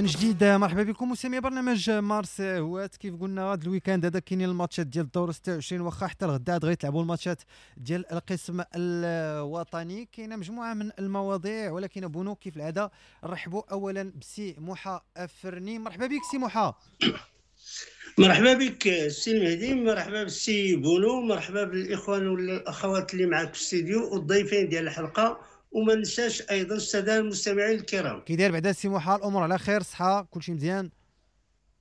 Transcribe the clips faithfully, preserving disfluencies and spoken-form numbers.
من جديد مرحبا بكم مستمعي برنامج مارس هوات. كيف قلنا هذا ال week-end هذا كاينين الماتشات ديال الدور ستة وعشرين، واخا حتى الغدا عاد غيتلعبوا الماتشات ديال القسم الوطني. كاينه مجموعة من المواضيع، ولكن بونو كيف العادة نرحبوا اولا بسي موحى افرني. مرحبا بك سي موحى. مرحبا بك سي المهدي، مرحبا بالسي بونو، مرحبا بالاخوان والاخوات اللي معك في الاستديو والضيفين ديال الحلقة، وما ننساش ايضا السادة المستمعين الكرام. كي داير بعدا سي موحى؟ الامور على خير؟ صحة كلشي مزيان؟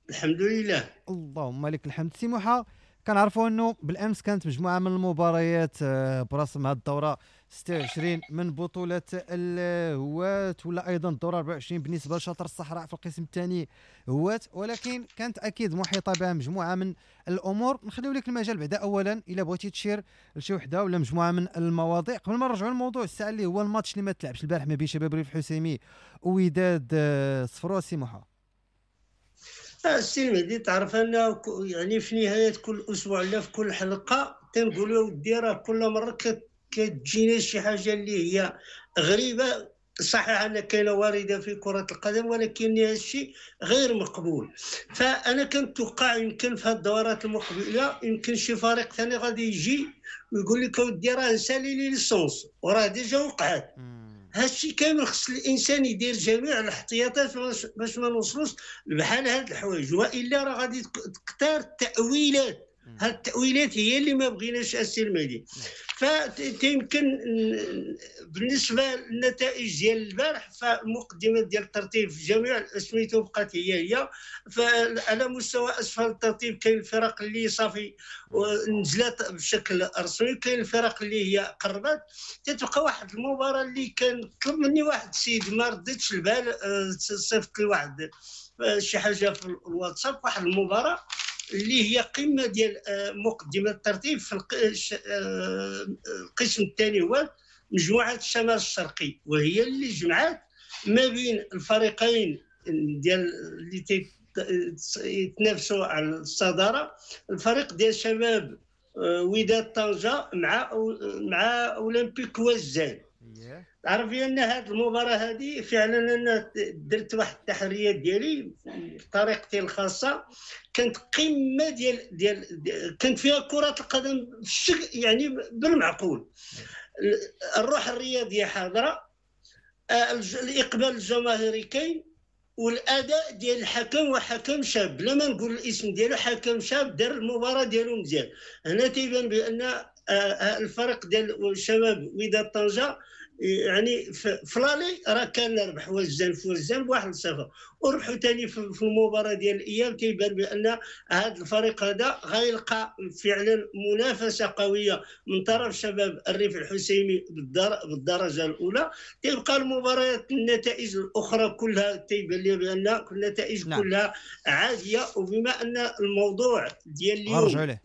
الحمد لله، اللهم لك الحمد. سي موحى، كنعرفوا انه بالامس كانت مجموعة من المباريات برسم هذه الدورة ستة وعشرين من بطوله الهوات، ولا ايضا الدورة أربعة وعشرين بالنسبة لشطر الصحراء في القسم الثاني هوات، ولكن كانت اكيد محيطه بها مجموعة من الامور. نخليو لك المجال بعدا اولا الا بغيتي تشير لشي وحده ولا مجموعة من المواضيع قبل ما نرجعوا للموضوع الساعة اللي هو الماتش اللي ما تلعبش البارح ما بين شباب ريف حسيمي ووداد صفرو. سي موحى. السي المهدي، تعرف ان يعني في نهاية كل اسبوع لا في كل حلقة تنقولوا ودي راه كل مرة كتجينا شي حاجة اللي هي غريبة. صحيح ان كاينه وارده في كره القدم، ولكن هذا الشيء غير مقبول. فانا كنتوقع يمكن في هذه الدورات المقبلة يمكن شي فريق ثاني غادي يجي ويقول لك اودي راه نسالي les licences وراه déjà وقعت. هادشي كامل خص الانسان يدير جميع الاحتياطات باش ما نوصلوش بحال هاد الحوايج، والا راه غادي تكثر التاويلات. هاد التاويلات هي اللي ما بغيناش السي المهدي. فتيمكن بالنسبة للنتائج ديال البارح، فالمقدمات ديال الترتيب في جميع سميتو بقات هي هي. فعلى مستوى اسفل الترتيب كاين الفرق اللي صافي نزلت بشكل رسمي، كاين الفرق اللي هي قربت. تتبقى واحد المباراة اللي كان طلب مني واحد السيد ما رديتش البال، صيفط لي واحد شي حاجة في الواتساب، واحد المباراة اللي هي قمة ديال مقدمه الترتيب في القسم الثاني هو مجموعة الشمال الشرقي، وهي اللي جمعت ما بين الفريقين ديال اللي يتنافسوا على الصدارة، الفريق ديال شباب وداد طنجه مع مع اولمبيك وزان. تعرف ان هذه المباراة هذه فعلا انا درت واحد التحريات ديالي بطريقتي الخاصة، كانت قمة ديال ديال كانت فيها كره القدم يعني بالمعقول، الروح الرياضية حاضره، الاقبال الجماهيري كاين، والاداء ديال الحكم وحكم شاب بلا ما نقول الاسم ديالو، حكم شاب دار المباراة ديالو مزيان. هنا تيبان بان الفريق ديال شباب وداد طنجه يعني في l'aller راه كان ربح وزان في وزان بواحد لصفر، وربحوا ثاني في المباراة ديال الاياب. تيبان بان هذا الفريق هذا غيلقى فعلا منافسه قوية من طرف شباب الريف الحسيمي بالدرجة الاولى. تيبقى المباريات النتائج الاخرى كلها تيبان لي بان النتائج نعم. كلها عادية. وبما ان الموضوع ديال اليوم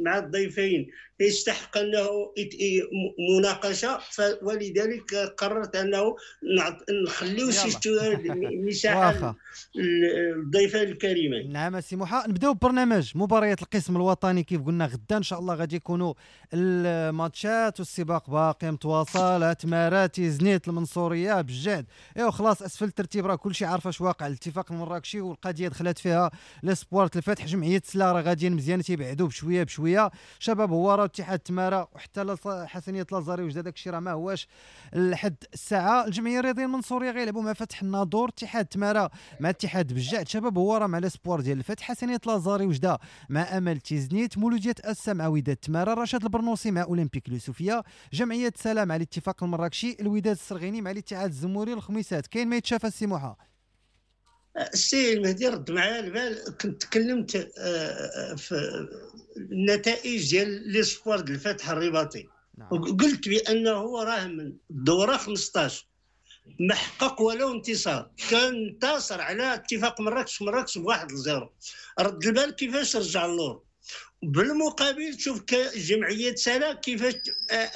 مع الضيفين يستحق انه مناقشة، ولذلك قررت انه نخليو شي مساحة للضيفين الكريمين. نعم سي موحى، نبداو ببرنامج مباريات القسم الوطني. كيف قلنا غدا ان شاء الله غادي يكونوا الماتشات والسباق باقي متواصل، تمارات زنيت المنصوريه بجد، ايوا خلاص اسفل الترتيب راه كلشي عارف اش واقع. الاتفاق المراكشي والقضية دخلت فيها l'Espoir الفتح، جمعية سلا راه غاديين مزيان تيبعدوا بشوية بشوية، شباب هواره اتحاد تماره وحتى حسنيه لازاري وجده داك الشيء راه ما هواش لحد الساعة. الجمعية الرياضية المنصوريه غيلعبوا مع فتح الناظور، اتحاد تماره مع اتحاد بجعد، شباب هواره مع l'Espoir ديال الفتح، حسنيه لازاري وجده مع امل تيزنيت، مولوديه اسا مع وداد تماره، رشاد البرنوسي مع اولمبيك اليوسفيه، جمعية سلام مع الاتفاق المراكشي، الوداد السرغيني مع الاتحاد الزموري الخميسات. كاين ما يتشافى السي موحى؟ السي المهدي رد معايا البال، كنت تكلمت في النتائج ديال l'Espoir ديال الفتح الرباطي. نعم. وقلت بانه راه من الدورة خمسطاش ما حقق ولو انتصار، كان انتصر على اتفاق مراكش مراكش بواحد لزيرو. رد البال كيفاش رجع اللور، بالمقابل تشوف جمعية سلا كيفاش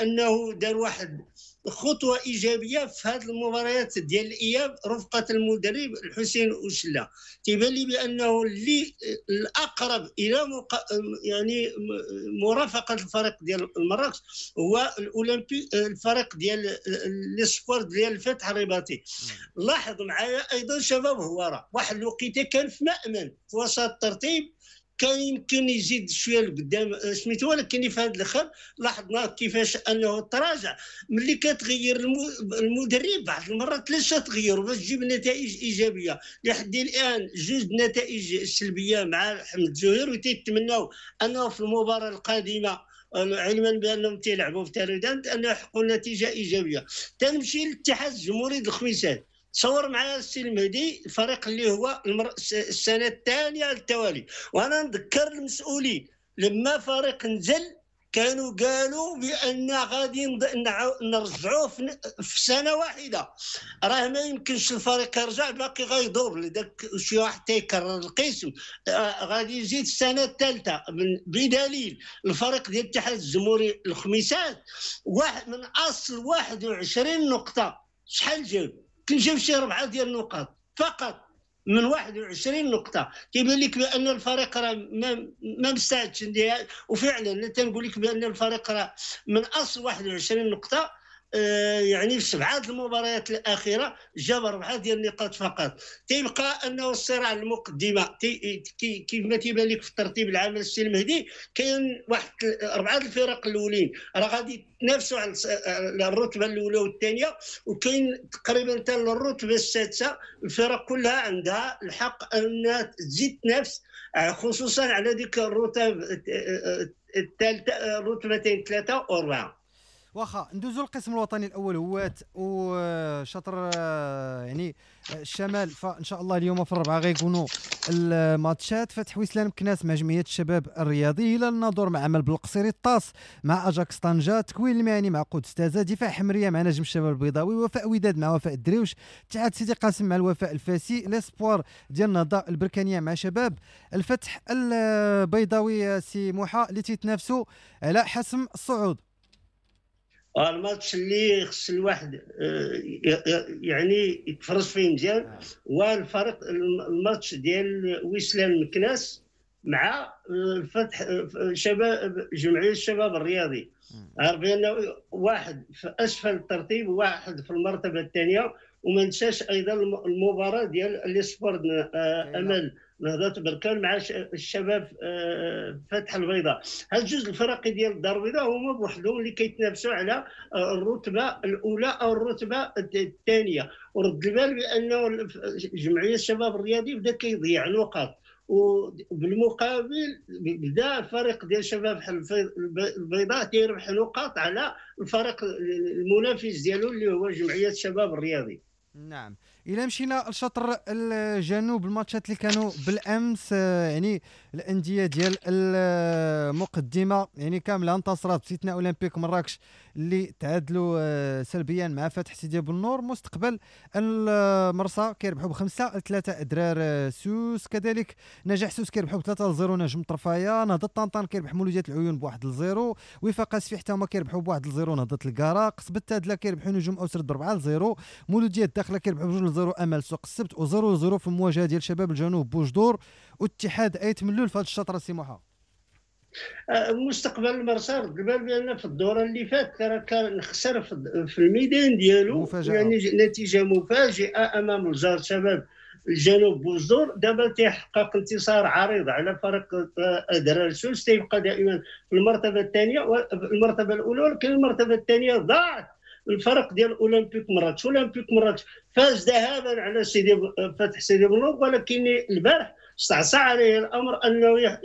انه دار واحد خطوة ايجابية في هذه المباريات ديال الاياب رفقه المدرب الحسين اوشلا. تيبان لي بانه اللي الاقرب الى مق... يعني مرافقة الفريق ديال المراكش هو الاولمبي، الفريق ديال l'Espoir ديال الفتح الرباطي. لاحظ معايا ايضا شباب هواره واحد الوقيته كان في مأمن في وسط الترتيب، كان يمكن يزيد شوية لقدام سميتو، ولكن في هذا الاخر لاحظنا كيفاش انه تراجع. ملي كتغير المدرب بعض المرات لاش تغير باش تجيب نتائج ايجابية. لحد الان جوج نتائج سلبية مع حمد زهير، وتيتمناو انه في المباراة القادمة علما بانهم تيلعبوا في تارودانت انه يحققوا نتيجة ايجابية. تنمشي للاتحاد الجمهوري الخميسات، تصور معايا السي المهدي الفريق اللي هو المر... السنة الثانية على التوالي، وانا نذكر المسؤولين لما فريق نزل كانوا قالوا بان غادي نرجعوه في... في سنة واحدة. راه ما يمكنش الفريق يرجع، باقي غيضوب داك شي واحد تيكرر القسم، آه غادي يزيد السنة الثالثة. بدليل الفريق ديال الاتحاد الجمهوري الخميسات واحد من اصل واحد وعشرين نقطة شحال جاب؟ كنجيب شي ربعه ديال النقاط فقط من واحد وعشرين نقطة. كيبان لك بان الفريق راه ما ما مستعدش، وفعلا تنقول لك بان الفريق راه من اصل واحد وعشرين نقطة آه يعني في سبعة المباريات الاخيرة جاب اربعة ديال النقاط فقط. تيبقى انه الصراع المقدمة كيف ما تيبان لك في الترتيب العام السي المهدي كاين واحد اربعة الفرق الاولين راه غادي يتنافسوا على الرتبة الاولى والثانية، وكاين تقريبا حتى الرتبة السادسة الفرق كلها عندها الحق ان تزيد تنافس، خصوصا على ديك الرتب الثالثة، الرتبتين ثلاثة واربعة. واخا ندوزو للقسم الوطني الاول هوات وشطر يعني الشمال، فان شاء الله اليوم في الربعه غيكونوا الماتشات. فتح وسلان مكناس مع جمعية الشباب الرياضي، هلال الناظور مع عمل بالقصيري، الطاس مع اجاكس طنجه، تكوين المهني مع قدس تازا، دفاع حمريه مع نجم الشباب البيضاوي، وفاء وداد مع وفاء الدريوش، اتحاد سيدي قاسم مع الوفاء الفاسي، l'Espoir ديال النهضة البركانيه مع شباب الفتح البيضاوي. سي موحى اللي تيتنافسوا على حسم الصعود. الماتش اللي خص الواحد يعني يتفرج فيه مزيان هو الفريق الماتش ديال ويسلان مكناس مع الفتح شباب جمعية الشباب الرياضي. عارف بان واحد في اسفل الترتيب وواحد في المرتبة الثانية، وما ننساش ايضا المباراة ديال l'Espoir امل نهضة بركان مع الشباب فتح البيضاء. هاد جوج الفرق ديال الدار البيضاء هما بوحدهم اللي كيتنافسوا على الرتبة الاولى او الرتبة الثانية. ورد البال بانه جمعية الشباب الرياضي بدا كيضيع نقاط، وبالمقابل بدا الفريق ديال شباب البيضاء تيربح نقاط على الفريق المنافس ديالو اللي هو جمعية الشباب الرياضي. نعم، الى مشينا لشطر الجنوب، الماتشات اللي كانوا بالامس يعني الاندية ديال المقدمة يعني كاملة انتصرت باستثناء اولمبيك مراكش اللي تعادلوا سلبيا مع فتح سيدي بنور. مستقبل المرسى كيربحوا بخمسة لثلاثة ادرار سوس، كذلك نجاح سوس كيربحوا بثلاثة لزيرو نجم طرفايه، نهضة طنطان كيربح مولوديه العيون بواحد لزيرو، وفاق اسفي حتى هما كيربحوا بواحد لزيرو نهضة الكارا، قصبة تادله كيربحوا نجوم اوسرد بربعه لزيرو، مولوديه الداخلة كيربحوا بجوج لزيرو امل سوق السبت، وزيرو لزيرو في المواجهة ديال شباب الجنوب بوجدور واتحاد ايت ملول في هذا الشطر. سي مستقبل المرسى رد البال بان في الدورة اللي فات راه كان خسر في الميدان ديالو مفاجأة. يعني نتيجة مفاجئة امام الجار شباب الجنوب بوجدور. دابا تيحقق انتصار عريض على فريق ادرار سوس، تيبقى دائما في المرتبة الثانية المرتبة الاولى، ولكن المرتبة الثانية ضاعت الفرق ديال اولمبيك مراكش. اولمبيك مراكش فاز ذهابا على سيدي فتح سيدي بنور، ولكن البارح استعصى عليه الامر انه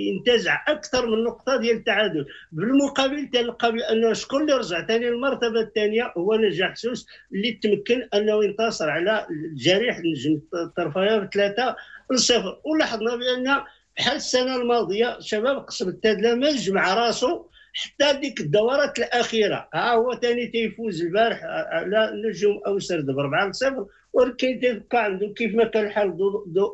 ينتزع اكثر من نقطة ديال التعادل. بالمقابل تلقى بانه شكون اللي رجع ثاني المرتبة الثانية هو نجاح سوس اللي تمكن انه ينتصر على الجريح نجم الطرفيه بثلاثة لصفر. ولاحظنا بان بحال السنة الماضية شباب قصب التادله ما جمع راسو حتى ديك الدورات الاخيرة. ها هو ثاني تيفوز البارح على نجوم اوسرد ب أربعة لصفر، ولكن تيبقى عنده كيف ما كان الحال دو دو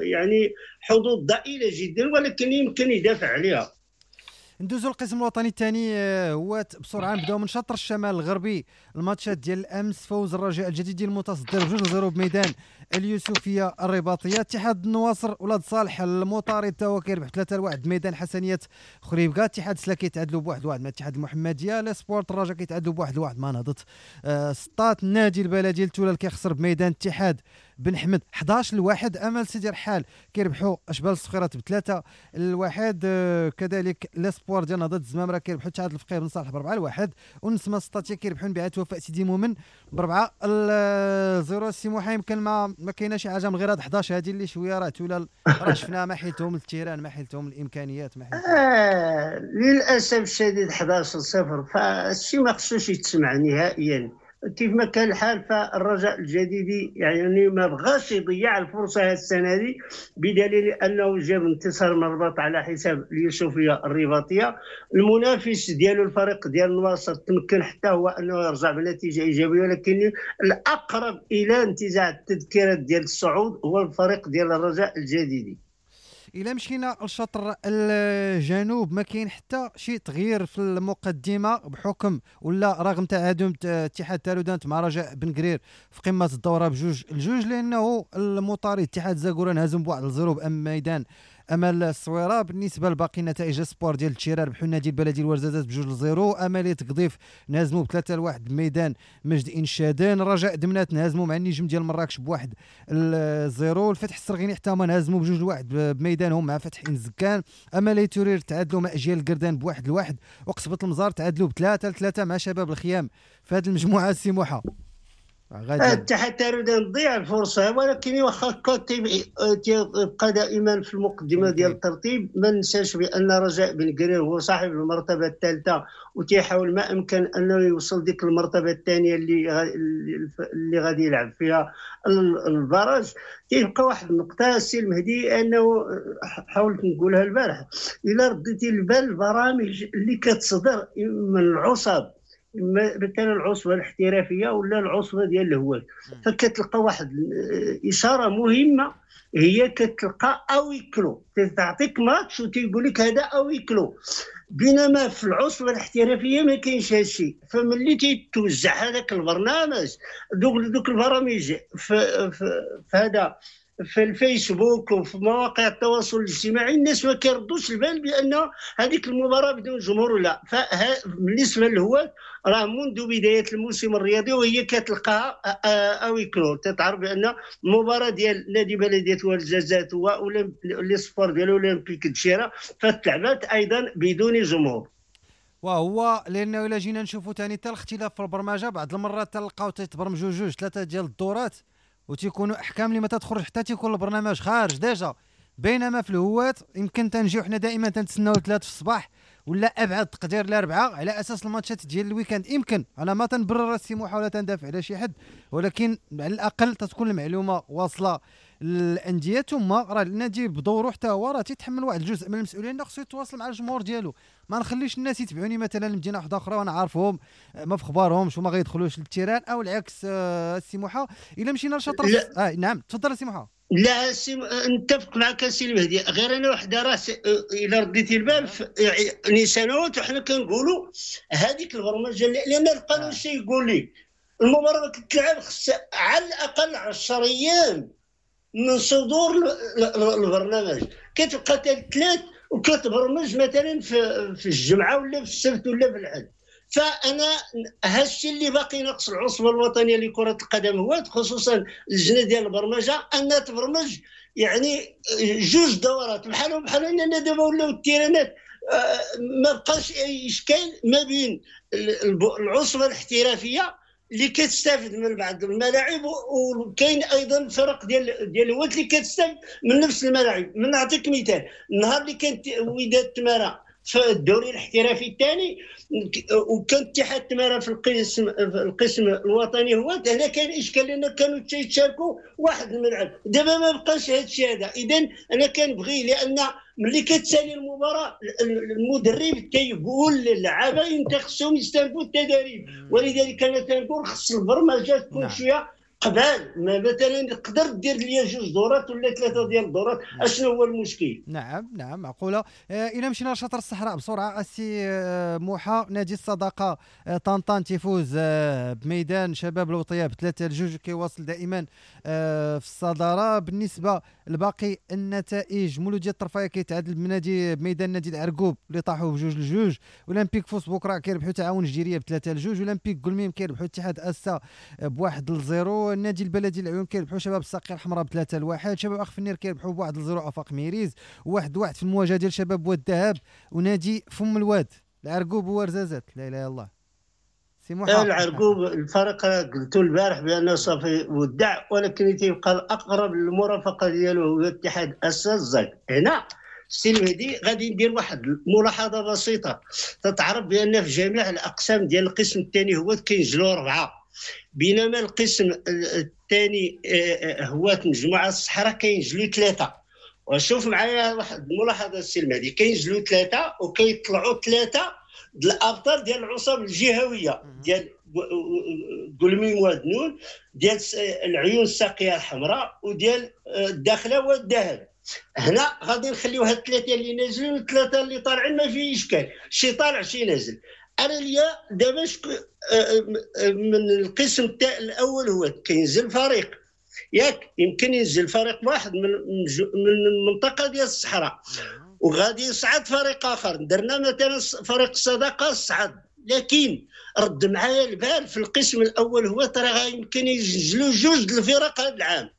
يعني حظوظ ضئيلة جدا، ولكن يمكن يدافع عليها. ندوزو القسم الوطني الثاني هو بسرعة، نبداو من شطر الشمال الغربي. الماتشات ديال الامس: فوز الرجاء الجديد ديال المتصدر بجوج لزيرو بميدان اليوسفيه الرباطيه. اتحاد النواصر ولاد صالح المطارد تا هو كيربح ثلاثة لواحد بميدان حسنيه خريبكا. اتحاد سلا كيتعادلوا بواحد لواحد مع اتحاد المحمدية. l'Espoir الرجاء كيتعادلوا بواحد لواحد مع نهضة آه سطات. النادي البلدي التولال كيخسر بميدان اتحاد بن حمد حداش لواحد. امل سيدي رحال كيربحوا اشبال الصخيرات بثلاثة لواحد. آه كذلك l'Espoir ديال نهضة الزمامره كيربحوا اتحاد الفقيه بن صالح باربعة لواحد. والنسمه السطاتيه كيربحوا انبعاث وفاء سيدي مومن باربعة لزيرو. سي موحى يمكن ما ما كاينه شي حاجة من غير هاد حداش هادي اللي شوية راه تولال راه شفناها، ما حيلتهم ال terrain، ما حيلتهم الامكانيات، ما حيلتهم. آه للاسف الشديد حداش لصفر، فالشيء ما خصوش يتسمع نهائيا. كيف ما كان الحال فالرجاء الجديدي يعني ما بغاش يضيع الفرصة هذه السنة هذه، بدليل انه جاب انتصار من الرباط على حساب اليوسفيه الرباطيه. المنافس ديالو الفريق ديال النواصر تمكن حتى هو انه يرجع بنتيجة ايجابية، ولكن الاقرب الى انتزاع التذكيرات ديال الصعود هو الفريق ديال الرجاء الجديدي. الى مشينا لشطر الجنوب ما كاين حتى شي تغيير في المقدمة بحكم ولا رغم تعادل اتحاد تارودانت مع رجاء بن قرير في قمة الدورة بجوج الجوج، لانه المطارد اتحاد زاكورة انهزم بواحد لزيرو بأم ميدان امل الصويره. بالنسبة لباقي النتائج، Espoir ديال التشيرة ربحوا النادي البلدي الورزازات بجوج لزيرو. امالي تقضيف نهزموا بثلاثة لواحد بميدان مجد انشادان. رجاء دمنات نهزموا مع النجم ديال مراكش بواحد لزيرو. الفتح السرغيني حتى هما نهزموا بجوج لواحد بميدانهم مع فتح انزكان. امالي تورير تعادلوا مع اجيال القردان بواحد لواحد. وقصبه المزار تعادلوا بثلاثة لثلاثة مع شباب الخيام. في هذه المجموعة السي موحى اتحاد تارودان ضيع الفرصة، ولكن واخا تيبقى دائما في المقدمة ديال الترتيب. ما ننساش بان رجاء بن قرير هو صاحب المرتبة الثالثة، وتيحاول ما امكن انه يوصل ديك المرتبة الثانية اللي اللي غادي يلعب فيها ال barrage. تيبقى واحد النقطة السي المهدي، انه حاولت نقولها البارح، الا رديتي البال البرامج اللي كتصدر من العصب، مثلا العصبة الاحترافية ولا العصبة ديال الهواة، فكتلقى واحد اشارة مهمة، هي كتلقى à huis clos، تعطيك ماتش وتيقول لك هذا à huis clos، بينما في العصبة الاحترافية ما كاينش هذا الشيء. فملي تيتوزع هذاك البرنامج دوك دوك البرامج في, في, في هذا في الفيسبوك وفي مواقع التواصل الاجتماعي، الناس ما كيردوش البال بان هذيك المباراة بدون جمهور ولا. فبالنسبه للهواة راه منذ بداية الموسم الرياضي وهي كتلقاها à huis clos، تتعرف بان المباراة ديال نادي بلديه ورزازات و l'Espoir ديال اولمبيك الدشيره فتلعبات ايضا بدون جمهور. وهو لانه الا جينا نشوفوا ثاني حتى الاختلاف في البرمجة، بعض المرات تلقاو تيتبرمجوا جوج ثلاثة ديال الدورات وتيكونوا احكام اللي ما تتخرج حتى تيكون البرنامج خارج déjà. بينما في الهواة يمكن تنجيو حنا دائما تنتسناو ثلاثة في الصباح ولا ابعد تقدير الاربعة على اساس الماتشات ديال ال week-end. يمكن انا ما تنبرر راسي محاولة تندافع على شي حد، ولكن على الاقل تتكون المعلومة واصله للاندية. ثم راه النادي بدوره حتى هو راه تيتحمل واحد الجزء من المسؤولية، انه خصو يتواصل مع الجمهور ديالو. ما نخليش الناس يتبعوني مثلا لمدينة واحدة اخرى وانا عارفهم ما في خبارهمش وما غيدخلوش لل terrain، او العكس. آه السي موحى الا مشينا لشطر آه نعم تفضل السي موحى. لا سي نتفق معك السي المهدي، غير انا وحده راه الا رديتي البال يعني سنوات وحنا كنقولوا هذيك البرمجة، لان القانون شي يقول لي المباراة كتلعب خص على الاقل عشرة ايام من صدور البرنامج، كتبقى ثلاث وكتبرمج مثلا في في الجمعة ولا في السبت ولا في الحد. فانا هادشي اللي باقي ناقص العصبة الوطنية لكرة القدم هو خصوصا اللجنة ديال البرمجة انها تبرمج يعني جوج دورات بحالهم بحال اننا دابا ولاو التيرانات ما بقاش اي اشكال ما بين العصبة الاحترافية اللي كتستافد من بعض الملاعب، وكاين ايضا فرق ديال ديال الهواة اللي كتستافد من نفس الملاعب. من نعطيك مثال، النهار اللي كانت وداد تماره في الدوري الاحترافي الثاني، وكان اتحاد تمارة في القسم في القسم الوطني هو هنا كاين اشكال، لان كانوا تيتشاركوا واحد الملعب. دابا ما بقاش هذا الشيء هذا. اذا انا كنبغي، لان ملي كتسالي المباراة المدرب كيقول للعابه انت خصهم يستنفوا التدريب، ولذلك انا تنقول خص البرمجة تكون نعم. شوية قبل ما مثلا تقدر دير ليا جوج دورات ولا ثلاثة ديال الدورات، اشنو هو المشكل؟ نعم نعم معقولة. آه الى مشينا لشطر الصحراء بسرعة السي آه موحى، نادي الصداقة آه طنطان تيفوز آه بميدان شباب الوطية بثلاثة لجوج، كيواصل دائما آه في الصدارة. بالنسبة لباقي النتائج، مولوديه الطرفايه كيتعادل بنادي بميدان نادي العرقوب اللي طاحوا بجوج لجوج، اولمبيك فوس بكره كيربحوا تعاون جديريه بثلاثة لجوج، اولمبيك قلميم كيربحوا اتحاد اسا بواحد لزيرو، النادي البلدي العيون كيربحوا شباب الساقيه الحمراء بثلاثة لواحد، شباب اخفنير كيربحوا بواحد لزيرو افاق ميريز، واحد واحد في المواجهة ديال شباب واد الذهب ونادي فم الواد. العرقوب وورزازات، لا اله الا الله. سي محمد العرقوب الفريق قلت البارح بانه صافي ودع، ولكن تيبقى الاقرب للمرافقه ديالو هو اتحاد اساس الزاك. هنا السي المهدي غادي ندير واحد الملاحظة بسيطة، تتعرف بان في جميع الاقسام ديال القسم الثاني هو كينزلوا اربعة، بينما القسم الثاني هو مجموعة الصحراء كينزلوا ثلاثة. وشوف معايا واحد الملاحظة السي المهدي، كينزلوا ثلاثة وكيطلعوا ثلاثة د الابطال ديال العصب الجهوية ديال قلميم وادنون، ديال العيون الساقيه الحمراء، وديال الداخلة والذهب. هنا غادي نخليو هاد الثلاثة اللي نازلين والثلاثة اللي طالعين، ما فيه اشكال، شي طالع شي نازل. انا ليا دابا من القسم الاول هو كينزل فريق، ياك يمكن ينزل فريق واحد من من المنطقة ديال الصحراء وغادي يصعد فريق اخر. درنا مثلا فريق الصداقة صعد، لكن رد معايا البال في القسم الاول هو ترى يمكن ينزلوا جوج الفرق هذا العام.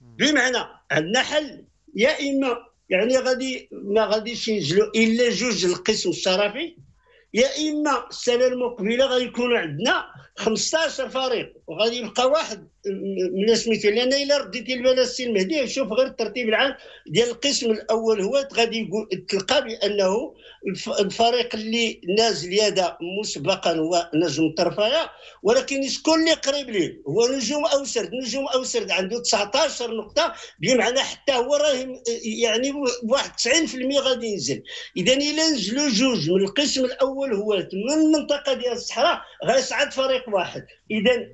بمعنى عندنا حل، يا اما يعني غادي ما غاديش ينزلوا الا جوج القسم الشرفي، يا اما السنة المقبلة غادي يكون عندنا خمسطاش فريق وغادي يبقى واحد من سميتو. لان الا رديتي البال السي المهدي، شوف غير الترتيب العام ديال القسم الاول هو غادي تلقى بانه الفريق اللي نازل يدا مسبقا هو نجم الطرفايه، ولكن شكون اللي قريب ليه؟ هو نجوم اوسرد. نجوم اوسرد عنده تسعطاش نقطة، بمعنى حتى هو راه يعني بواحد تسعين بالمية غادي ينزل. اذا الا نزلوا جوج من القسم الاول هو من المنطقة ديال الصحراء غيصعد فريق واحد. اذا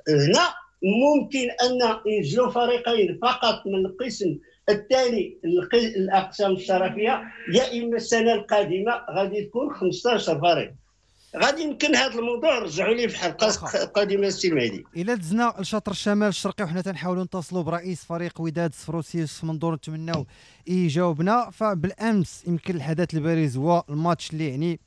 هنا ممكن ان ينزلوا فريقين فقط من القسم الثاني الاقسام الشرفيه، يا اما السنة القادمة غادي تكون خمسطاش فريق. غادي يمكن هذا الموضوع نرجعوا ليه في حلقة قادمة السي المهدي. الى دزنا لشطر الشمال الشرقي وحنا تنحاولوا نتصلوا برئيس فريق وداد صفروسي يوسف منظور، نتمناو يجاوبنا. فبالامس يمكن الحدث البارز هو الماتش اللي يعني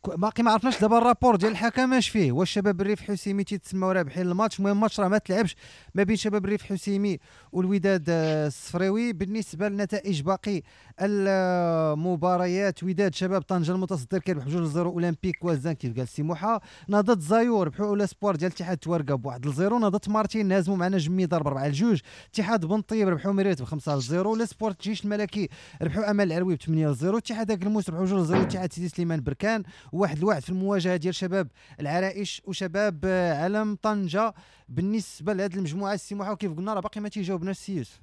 باقي ما عرفناش دابا ال rapport ديال الحكم اش فيه، واش شباب الريف حسيمي تيتسماو رابحين الماتش. المهم الماتش راه ما تلعبش ما بين شباب الريف حسيمي والوداد الصفريوي. بالنسبة للنتائج باقي المباريات، وداد شباب طنجه المتصدر كيربح بجوج لزيرو اولمبيك وزان كيف قال سيموحه، نهضة زايور ربحوا l'espoir ديال اتحاد توارقه بواحد لزيرو، نهضة مارتين هزموا مع نجم ميدار بأربعة لجوج، اتحاد بن طيب ربحوا ميريت بخمسة لزيرو، l'espoir الجيش الملكي ربحوا امل العروي بثمانية لزيرو، اتحاد اكلموس ربحوا جوج لزيرو، اتحاد سيدي سليمان بركان واحد لواحد في المواجهة ديال شباب العرائش وشباب علم طنجه. بالنسبة لهذه المجموعة السيموحه وكيف قلنا راه باقي ما تيجاوبناش السي يوسف.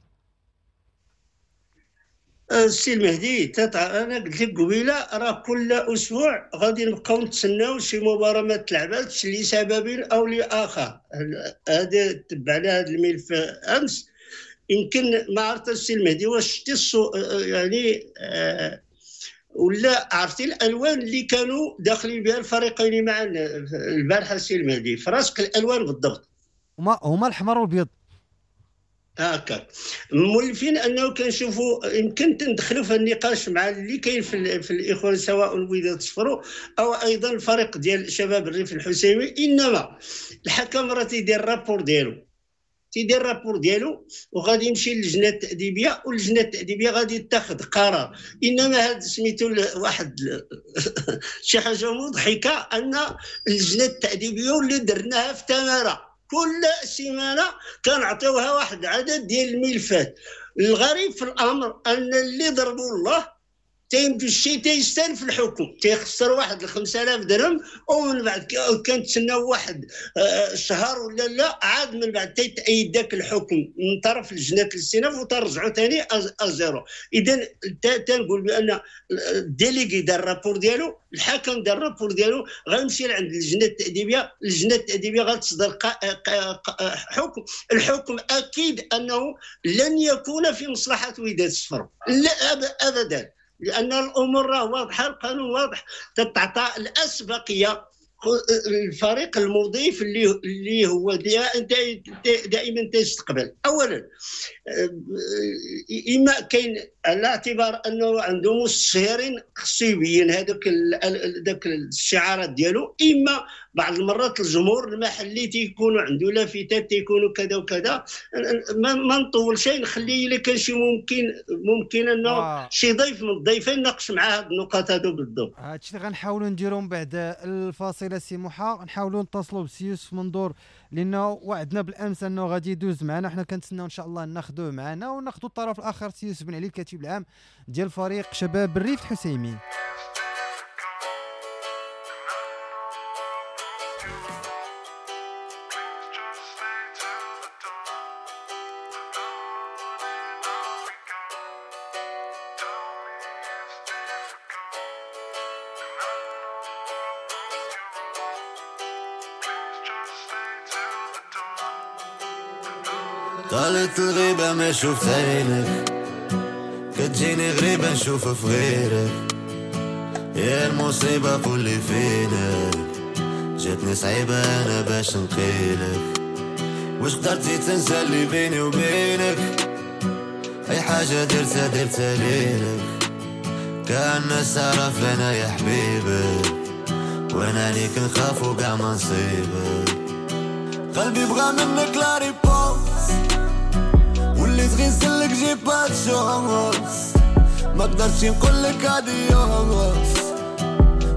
السي المهدي تتع... انا قلت لك قبيلة راه كل اسبوع غادي نبقاو نتسناو شي مباراة ما تلعباتش لسبب او لاخر. هذا تبعنا هذا الملف امس، يمكن ما عرفت السي المهدي واش شتي الصو... يعني آه... ولا عرفتي الالوان اللي كانوا داخلين بها الفريقين مع البارحة السي المهدي، فراسك الالوان بالضبط هما هما الاحمر والابيض هكا مولفين انه كنشوفوا. يمكن تندخلوا في النقاش مع اللي كاين في, في الاخوان سواء الوداد صفرو او ايضا الفريق ديال شباب الريف الحسيمي. انما الحكم راه تيدير rapport ديالو، تيدير rapport ديالو وغادي يمشي للجنة التاديبيه، واللجنة التاديبيه غادي تاخذ قرار. انما هذا سميتو واحد شي حاجة مضحكة، ان اللجنة التاديبيه اللي درناها في تماره كل سيمانه كنعطيوها واحد عدد ديال الملفات. الغريب في الامر ان اللي ضربوا الله تيمشي تيستلف الحكم، تيخسر واحد خمسة آلاف درهم، ومن بعد كنتسناو واحد شهر ولا لا، عاد من بعد تيتأيد ذاك الحكم من طرف لجنة الاستئناف وترجعوا ثاني à zéro. اذا تنقول بان ال délégué دار ال rapport ديالو، الحكم دار ال rapport ديالو، غيمشي لعند اللجنة التاديبيه، اللجنة التاديبيه غتصدر حكم، الحكم اكيد انه لن يكون في مصلحة وداد الصفر، لا ابدا، لان الامور راه واضحة، القانون واضح، تتعطى الاسبقيه الفريق المضيف اللي اللي هو دائما تيستقبل. اولا اما كاين على اعتبار انه عنده مستشهرين خصو يبين هذوك ذاك الشعارات ديالو، اما بعض المرات الجمهور المحلي تيكونوا عنده لافتات تيكونوا كذا وكذا. ما, ما نطول شيء، نخلي الا كان شي ممكن ممكن انه آه. شي ضيف من الضيفين ناقش مع هاد النقاط هادو بالضبط. هادشي اللي غنحاولوا نديرو من بعد الفاصلة سي موحى، نحاولوا نتصلوا بسي يوسف منظور لانه وعدنا بالامس انه غادي يدوز معنا، حنا كنتسناو ان شاء الله ناخذوه معنا وناخذوا الطرف الاخر سي يوسف بن علي الكاتب العام ديال فريق شباب الريف الحسيمي. طالت الغيبة ما شفت عينك، كتجيني غريبة نشوف في غيرك، يا المصيبة قولي فينك، جاتني صعيبة أنا باش نقيلك، واش قدرتي تنسى اللي بيني وبينك، أي حاجة درتها درتها ليلك، كأن الناس تعرف أنا يا حبيبك، وأنا عليك نخاف وقع ما نصيبك، قلبي بغى منك la réponse، وليت غير نسلك j'ai pas de chance، ما قدرتش نقولك adiós،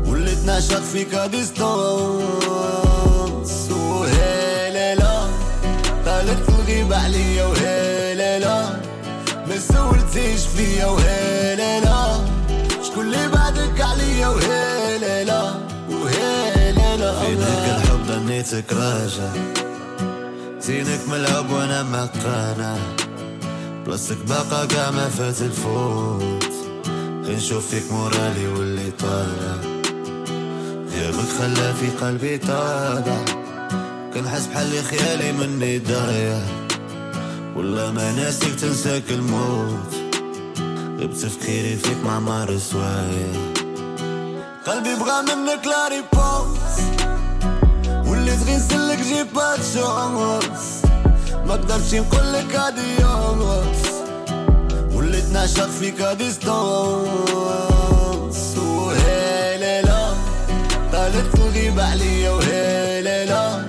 وليت نعشق فيك à distance، وهي لا طالت الغيبة عليا، وهي لا ما سولتيش فيا، وهي لا شكون اللي بعدك عليا، وهي لا وهي لا في ذاك الحب ظنيتك راجع، زينك ملعب وانا مقانع، بلاصتك باقا كاع ما فات الفوت، غير نشوف فيك مورالي واللي طالع، غيابك خلى في قلبي طالع، كنحس بحال اللي خيالي مني ضايع، ولا ما ناسيك تنساك الموت، غير بتفكيري فيك مع مار سوايع، قلبي بغى منك la réponse، وليت غير نسلك j'ai pas de chance، ما قدرتش نقولك adiós، وليت نعشق فيك à distance، وهي لا طالت الغيبة عليا، وهي لا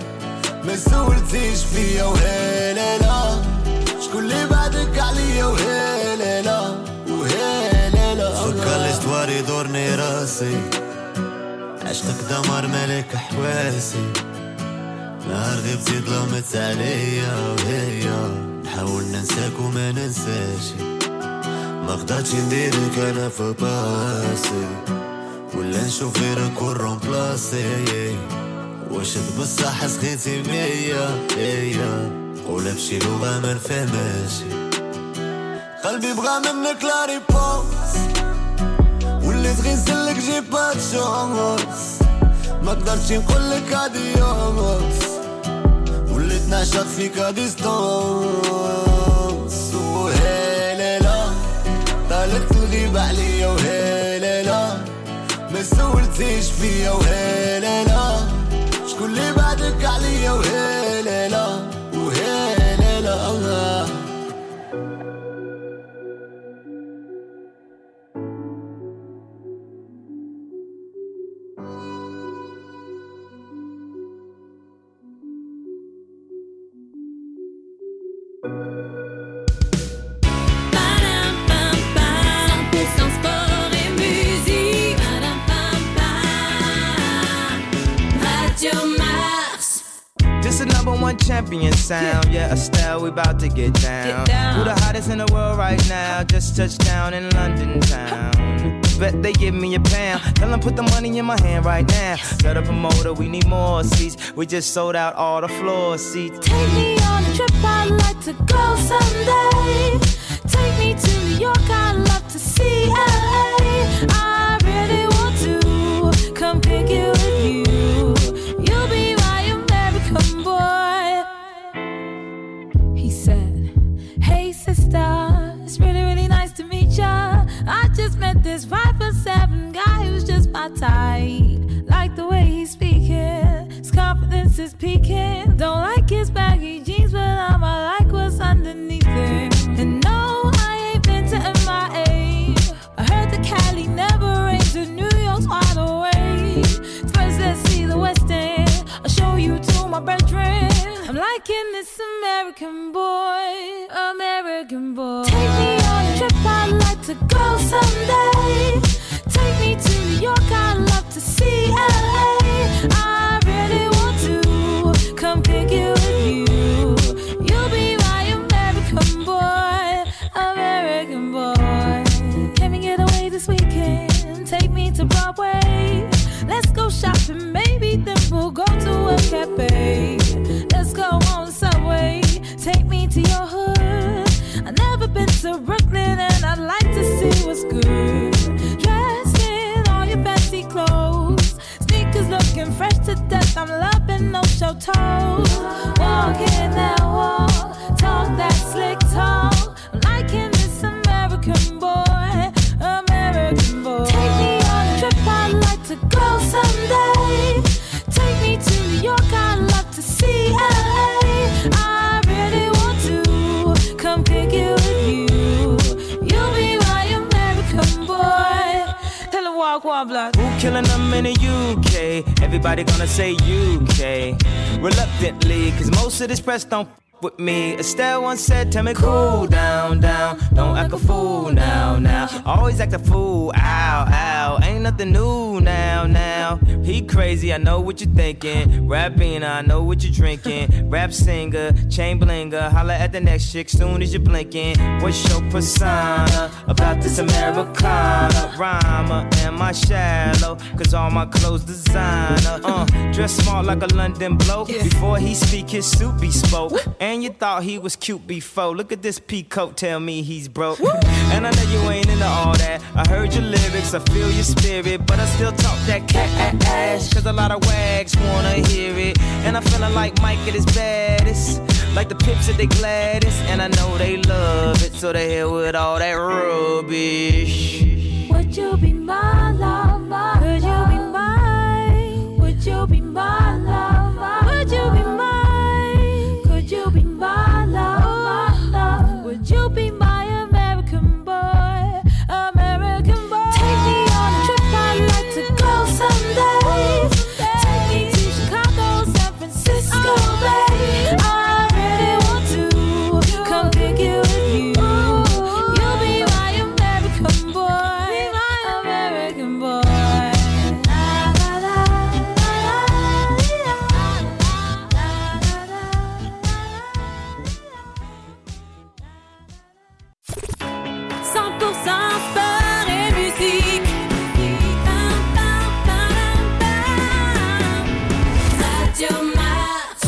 ما سولتيش فيا، وهي لا شكون اللي بعدك عليا، وهي لا وهي لا فكر l'histoire يدورني راسي، عشقك دمر ملك حواسي، نهار غبتي ظلمت عليا، وهي نحاول ننساك وما ننساش، ما قدرتش نديرك انا في باسي، ولا نشوف غيرك ون remplacer، واش بصح سخيتي بيا، قولها بشي لغة ما نفهمهاش، قلبي بغى منك la réponse، وليت غير نسلك j'ai pas de chance، ما قدرتش نقولك adiós، وليت نعشق فيك à distance، وهي لا طالت الغيبة عليا، وهي لا ما سولتيش فيا، وهي لا شكون اللي بعدك عليا، وهي لا وهي لا. Champion sound, yeah, Estelle, we about to get down. Get down. Who the hottest in the world right now? Just touched down in London town. Bet they give me a pound. Tell them put the money in my hand right now. Tell the promoter we need more seats. We just sold out all the floor seats. Take me on a trip, I'd like to go someday. Take me to New York, I'd love to see L A. I really want to come pick it with you. You'll be my American boy. He said, hey sister, it's really, really nice to meet ya. I just met this five foot seven guy who's just my type. Like the way he's speaking, his confidence is peaking. Don't like his baggy jeans, but I'ma like what's underneath it. And no, I ain't been to M I A. I heard the Cali never rains and New York's wide awake. First, let's see the West End. I'll show you to my bedroom. I'm liking this American boy, American boy. Take me on a trip, I'd like to go someday. Take me to New York, I'd love to see L A. I really want to come pick it with you. You'll be my American boy, American boy. Can we get away this weekend? Take me to Broadway. Let's go shopping, maybe then we'll go to a cafe. Let's go on the subway. Take me to your hood. I've never been to Brooklyn and I'd like to see what's good. Dressed in all your fancy clothes, sneakers looking fresh to death. I'm loving no show toes. Walking that wall, talk that slick talk. I'm liking this American boy, American boy. Take me on a trip, I'd like to go someday. Take me to New York, I'd love to see L A. I really want to come pick it with you. You'll be my American boy. Tell her walk one block. Who killing them in the U K? Everybody gonna say U K. Reluctantly, cause most of this press don't f with me. Estelle once said, tell me cool down, down. Don't act a fool now, now. Always act a fool, ow, ow. Ain't nothing new now, now. He crazy, I know what you're thinking. Rapping, I know what you're drinking. Rap singer, chain blinger. Holla at the next chick soon as you're blinking. What's your persona about this Americana? Rhymer, am I shallow? Cause all my clothes designer. Uh, dress smart like a London bloke. Before he speak, his suit be spoke. And you thought he was cute before. Look at this peacoat, tell me he's broke. And I know you ain't into all that. I heard your lyrics, I feel your spirit, but I still talk that cash. Cause a lot of wags wanna hear it. And I'm feeling like Mike at his baddest, like the pips at they gladdest. And I know they love it, so they hell with all that rubbish. Would you be my love? Could you be mine? Would you be my love? Would you be mine? Could you be my love? My love? Would you be my American boy? American boy. Take me on a trip, I'd like to go someday. Take me to Chicago, San Francisco, babe. I really want to come pick it with you. You'll be my American boy, American boy. La, la, la, la, la, la, la. cent pour cent sport et musique. Pam, pam, pam, pam. Radio Mars.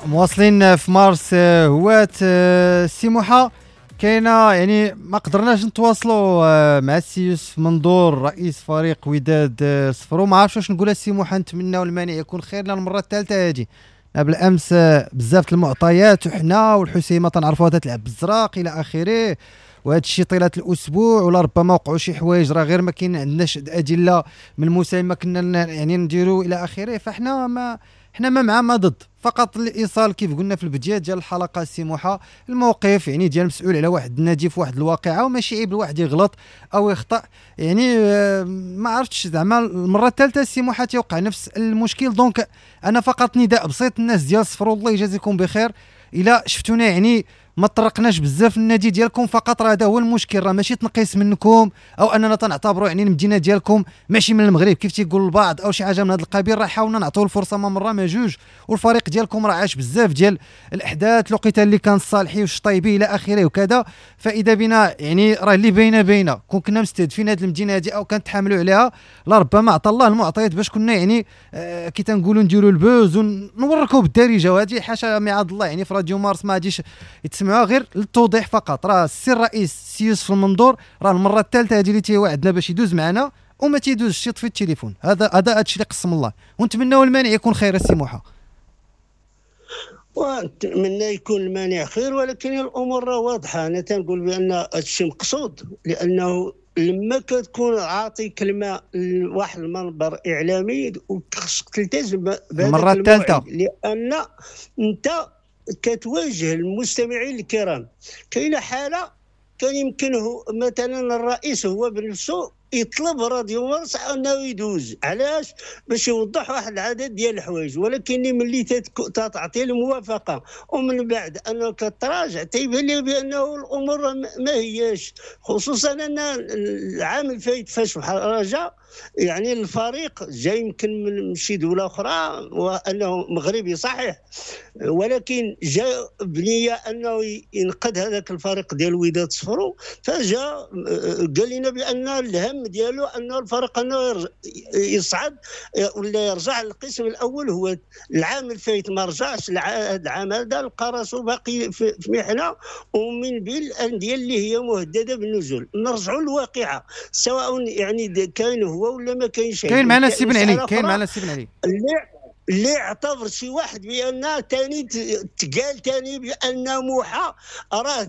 مواصلين في مارس هوات سيموحة كاينه، يعني ما قدرناش نتواصلوا مع السي يوسف منظور رئيس فريق وداد صفرو. ما عرفتش واش نقول السي موحى، نتمناو المانع يكون خير لنا المرة الثالثة هذه. بالامس بزاف المعطيات، وحنا والحسيمه تنعرفوها تتلعب بالزراق الى اخره، وهذا الشيء طيلة الاسبوع، ولا ربما وقعوا شي حوايج راه غير ما كاين عندناش ادلة من المساهمة كنا يعني نديروا الى اخره. فاحنا ما حنا ما مع ما ضد، فقط الايصال كيف قلنا في البداية ديال الحلقة السي موحى الموقف يعني ديال مسؤول على واحد النادي في واحد الواقعة، وماشي عيب الواحد يغلط او يخطا يعني. ما عرفتش زعما المرة الثالثة السي موحى تيوقع نفس المشكل. donc انا فقط نداء بسيط الناس ديال صفرو، الله يجازيكم بخير، الا شفتونا يعني ما طرقناش بزاف النادي ديالكم، فقط راه هذا هو المشكل، راه ماشي تنقيس منكم او اننا تنعتبروا يعني المدينة ديالكم ماشي من المغرب كيف تيقول البعض او شي حاجة من هذا القبيل. راه حاولنا نعطيو الفرصة ما مرة ما جوج، والفريق ديالكم راه عاش بزاف ديال الاحداث، الوقيته اللي كان الصالحي والشطيبي الى اخره وكذا. فاذا بنا يعني راه اللي باينة باينة، كون كنا مستهدفين هذه المدينة هذه او كنتحاملوا عليها لربما عطى الله المعطيات باش كنا يعني آه كي تنقولوا نديروا ال buzz ونوركوا بالدارجة، وهذه حاشا معاذ الله يعني في راديو مارس ما غاديش يتسمعوا، غير للتوضيح فقط. راه السي الرئيس سي يوسف المنظور راه المرة الثالثة هذه اللي تيوعدنا باش يدوز معنا وما تيدوزش، يطفي التليفون. هذا هذا هادشي اللي قسم الله، ونتمناو المانع يكون خير السي موحى. ونتمنى يكون المانع خير، ولكن الامور راه واضحة. انا تنقول بان هادشي مقصود، لانه لما كتكون عاطي كلمة لواحد المنبر اعلامي وخصك تلتزم بهذا المرة الثالثة، لان انت كتواجه المستمعين الكرام. كاينه حاله كان يمكنه مثلا الرئيس هو بنفسه يطلب راديو مارس انه يدوز، علاش؟ باش يوضح واحد العدد ديال الحوايج، ولكن ملي تعطي الموافقة ومن بعد انه كتراجع تيبان لي بانه الامور ما هياش، خصوصا ان العام الفايت فاش راجع يعني الفريق جاي يمكن من شي دولة اخرى وانه مغربي صحيح، ولكن جاء بنيه انه ينقذ هذاك الفريق ديال وداد صفرو، فجاء قال لنا بان الهم ديالو انه الفريق انه يصعد ولا يرجع للقسم الاول. هو العام الفايت ما رجعش، العام هذا لقى راسو باقي في محنة ومن بين الاندية اللي هي مهددة بالنزول. نرجعوا للواقعه، سواء يعني كاين هو ولا ما كاينش. كاين معنا السي بن علي، كاين معنا السي بن علي اللي اللي اعتبر شي واحد بان ثاني تقال ثاني بان موحى راه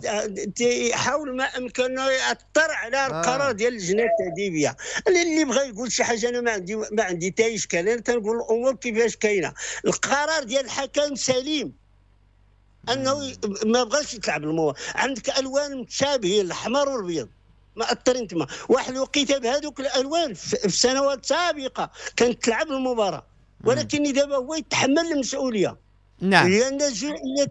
تيحاول ما امكنه ياثر على القرار ديال اللجنة التاديبيه. اللي بغى يقول شي حاجة انا ما عندي ما عندي حتى اشكال، انا تنقول الامور كيفاش كاينه. القرار ديال الحكم سليم انه ما بغاش يتلعب الموضوع، عندك الوان متشابهين الاحمر والابيض مأثرين تما. واحد الوقيته بهذوك الالوان في سنوات سابقه كانت تلعب المباراة، ولكن دابا هو يتحمل المسؤولية. نعم، لان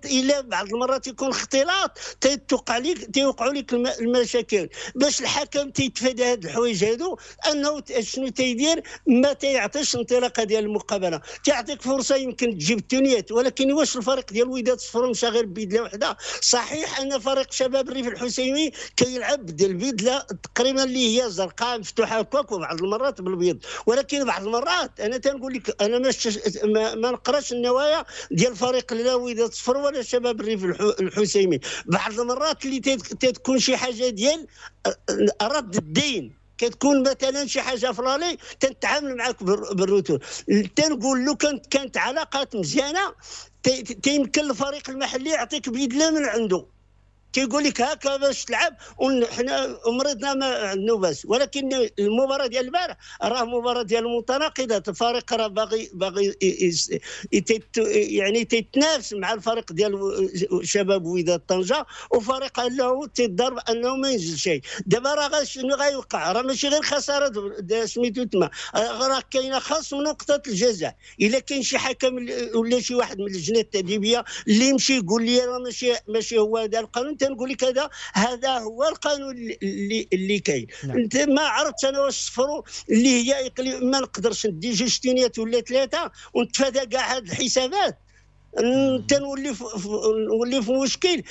الا بعض المرات يكون اختلاط تيتوقع لك تيوقعوا لك المشاكل. باش الحكم تيتفادى هاد الحوايج هادو، انه شنو تيدير؟ ما تيعطيش انطلاقة ديال المقابلة، تيعطيك فرصة يمكن تجيب التونيات. ولكن واش الفريق ديال وداد صفرو مشى غير ببدله وحده؟ صحيح ان فريق شباب الريف الحسيمي كيلعب بالبدله تقريبا اللي هي زرقاء مفتوحة هكاك وبعض المرات بالبيض، ولكن بعض المرات انا تنقول لك انا ما ما, ما نقراش النوايا ديال فريق لا وداد صفر ولا شباب الريف الحسيمي. بعض المرات اللي تتكون شي حاجة ديال رد الدين، كتكون مثلا شي حاجة ف l'aller تنتعامل معاك بال retour. تنقول لو كانت كانت علاقات مزيانه تيمكن الفريق المحلي يعطيك بدله من عنده، تيقول لك هكا باش تلعب وحنا مريضنا ما عندنا باس. ولكن المباراة ديال البارح راه مباراة ديال المتناقضات، الفريق راه باغي باغي يعني تيتنافس مع الفريق ديال شباب وداد طنجه، وفريق له تيضرب انه ما ينزل شيء. دابا راه شنو غيوقع؟ راه ماشي غير خسارة سميتو تما، راه كاينه خصم نقطة الجزاء. الا كاين شي حكم ولا شي واحد من اللجنة التاديبيه اللي يمشي يقول لي راه ماشي ماشي هو هذا القانون، تنقول لك هذا هذا هو القانون اللي اللي كاين. نعم. انت ما عرفتش انا واش صفرو اللي هي اقليم، ما نقدرش ندي جوج تينيات ولا ثلاثة ونتفادى كاع هاد الحسابات، تنولي نولي في مشكل.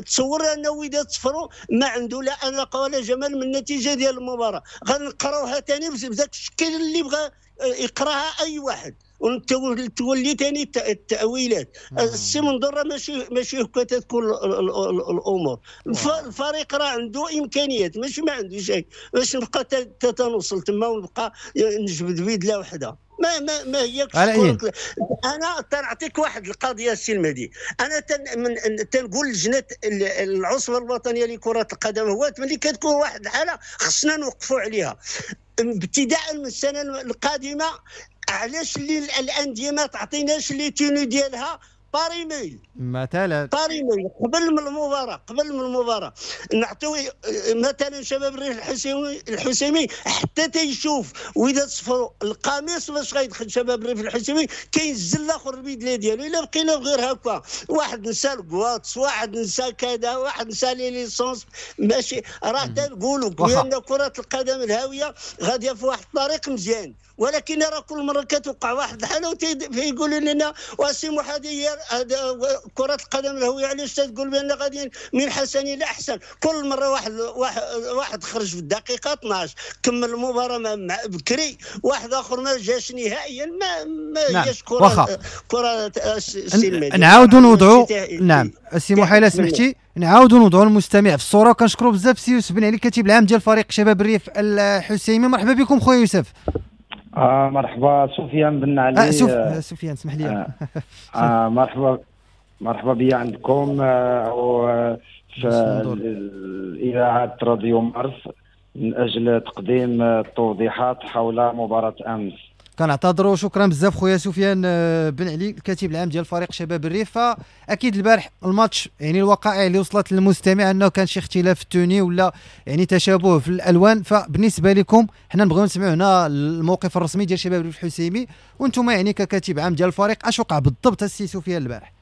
تصور ان وداد صفرو ما عنده لا اناقة ولا جمال من النتيجة ديال المباراة، غنقراوها ثاني بذاك الشكل اللي بغى يقراها اي واحد، وتولي ثاني التاويلات. السي منظور ماشي ماشي هكا تكون الامور. الفريق راه عنده امكانيات، ماشي ما عنده شيء باش نبقى تنوصل تما ونبقى نجبد بدله وحده. ما ما ما هي. انا تنعطيك واحد القضية السي المهدي، انا تن من تنقول لجنة العصبة الوطنية لكرة القدم هو ملي كتكون واحد الحالة خصنا نوقفوا عليها ابتداء من السنة القادمة. علاش اللي الاندية ما تعطيناش les tenues ديالها par email مثلا، par email قبل من المباراة، قبل من المباراة نعطيو مثلا شباب الريف الحسيمي الحسيمي حتى تيشوف واذا صفروا القميص باش غيدخل شباب الريف الحسيمي كينزل الاخر البدلة ديالو. الا بقينا غير هكا واحد نسى الكواطس، واحد نسى كذا، واحد نسى les licences، ماشي راه تنقولوا بان كره القدم الهاوية غادية في واحد الطريق مزيان، ولكن راه كل مرة كتوقع واحد الحالة وتيقولوا لنا واسي محادي كرة القدم الهوية علاش تقول بان غاديين من حسن الى احسن؟ كل مرة واحد واحد, واحد خرج في الدقيقة اثناش كمل المباراة مع بكري، واحد اخر ما جاش نهائيا، ما ما جاش كرة كرة السلمية. نعاودوا نوضعوا، نعم السي محيلة سمحتي، نعاودوا نوضعوا المستمع في الصورة. وكنشكروا بزاف سي يوسف بن علي الكاتب العام ديال فريق شباب الريف الحسيمي. مرحبا بكم خويا يوسف. آه مرحبا سفيان بن علي. آه سف... سفيان اسمح لي. آه آه مرحبا مرحبا بيا عندكم آه في إذاعة راديو مارس من أجل تقديم التوضيحات حول مباراة أمس. كنعتذروا، شكرا بزاف خويا سفيان بن علي الكاتب العام ديال فريق شباب الريف. فاكيد البارح الماتش يعني الوقائع اللي وصلت للمستمع انه كان شي اختلاف في ال tenue ولا يعني تشابه في الالوان، فبالنسبه لكم حنا نبغيو نسمعوا هنا الموقف الرسمي ديال شباب الريف الحسيمي، وانتم يعني ككاتب عام ديال الفريق اش وقع بالضبط السي سفيان البارح؟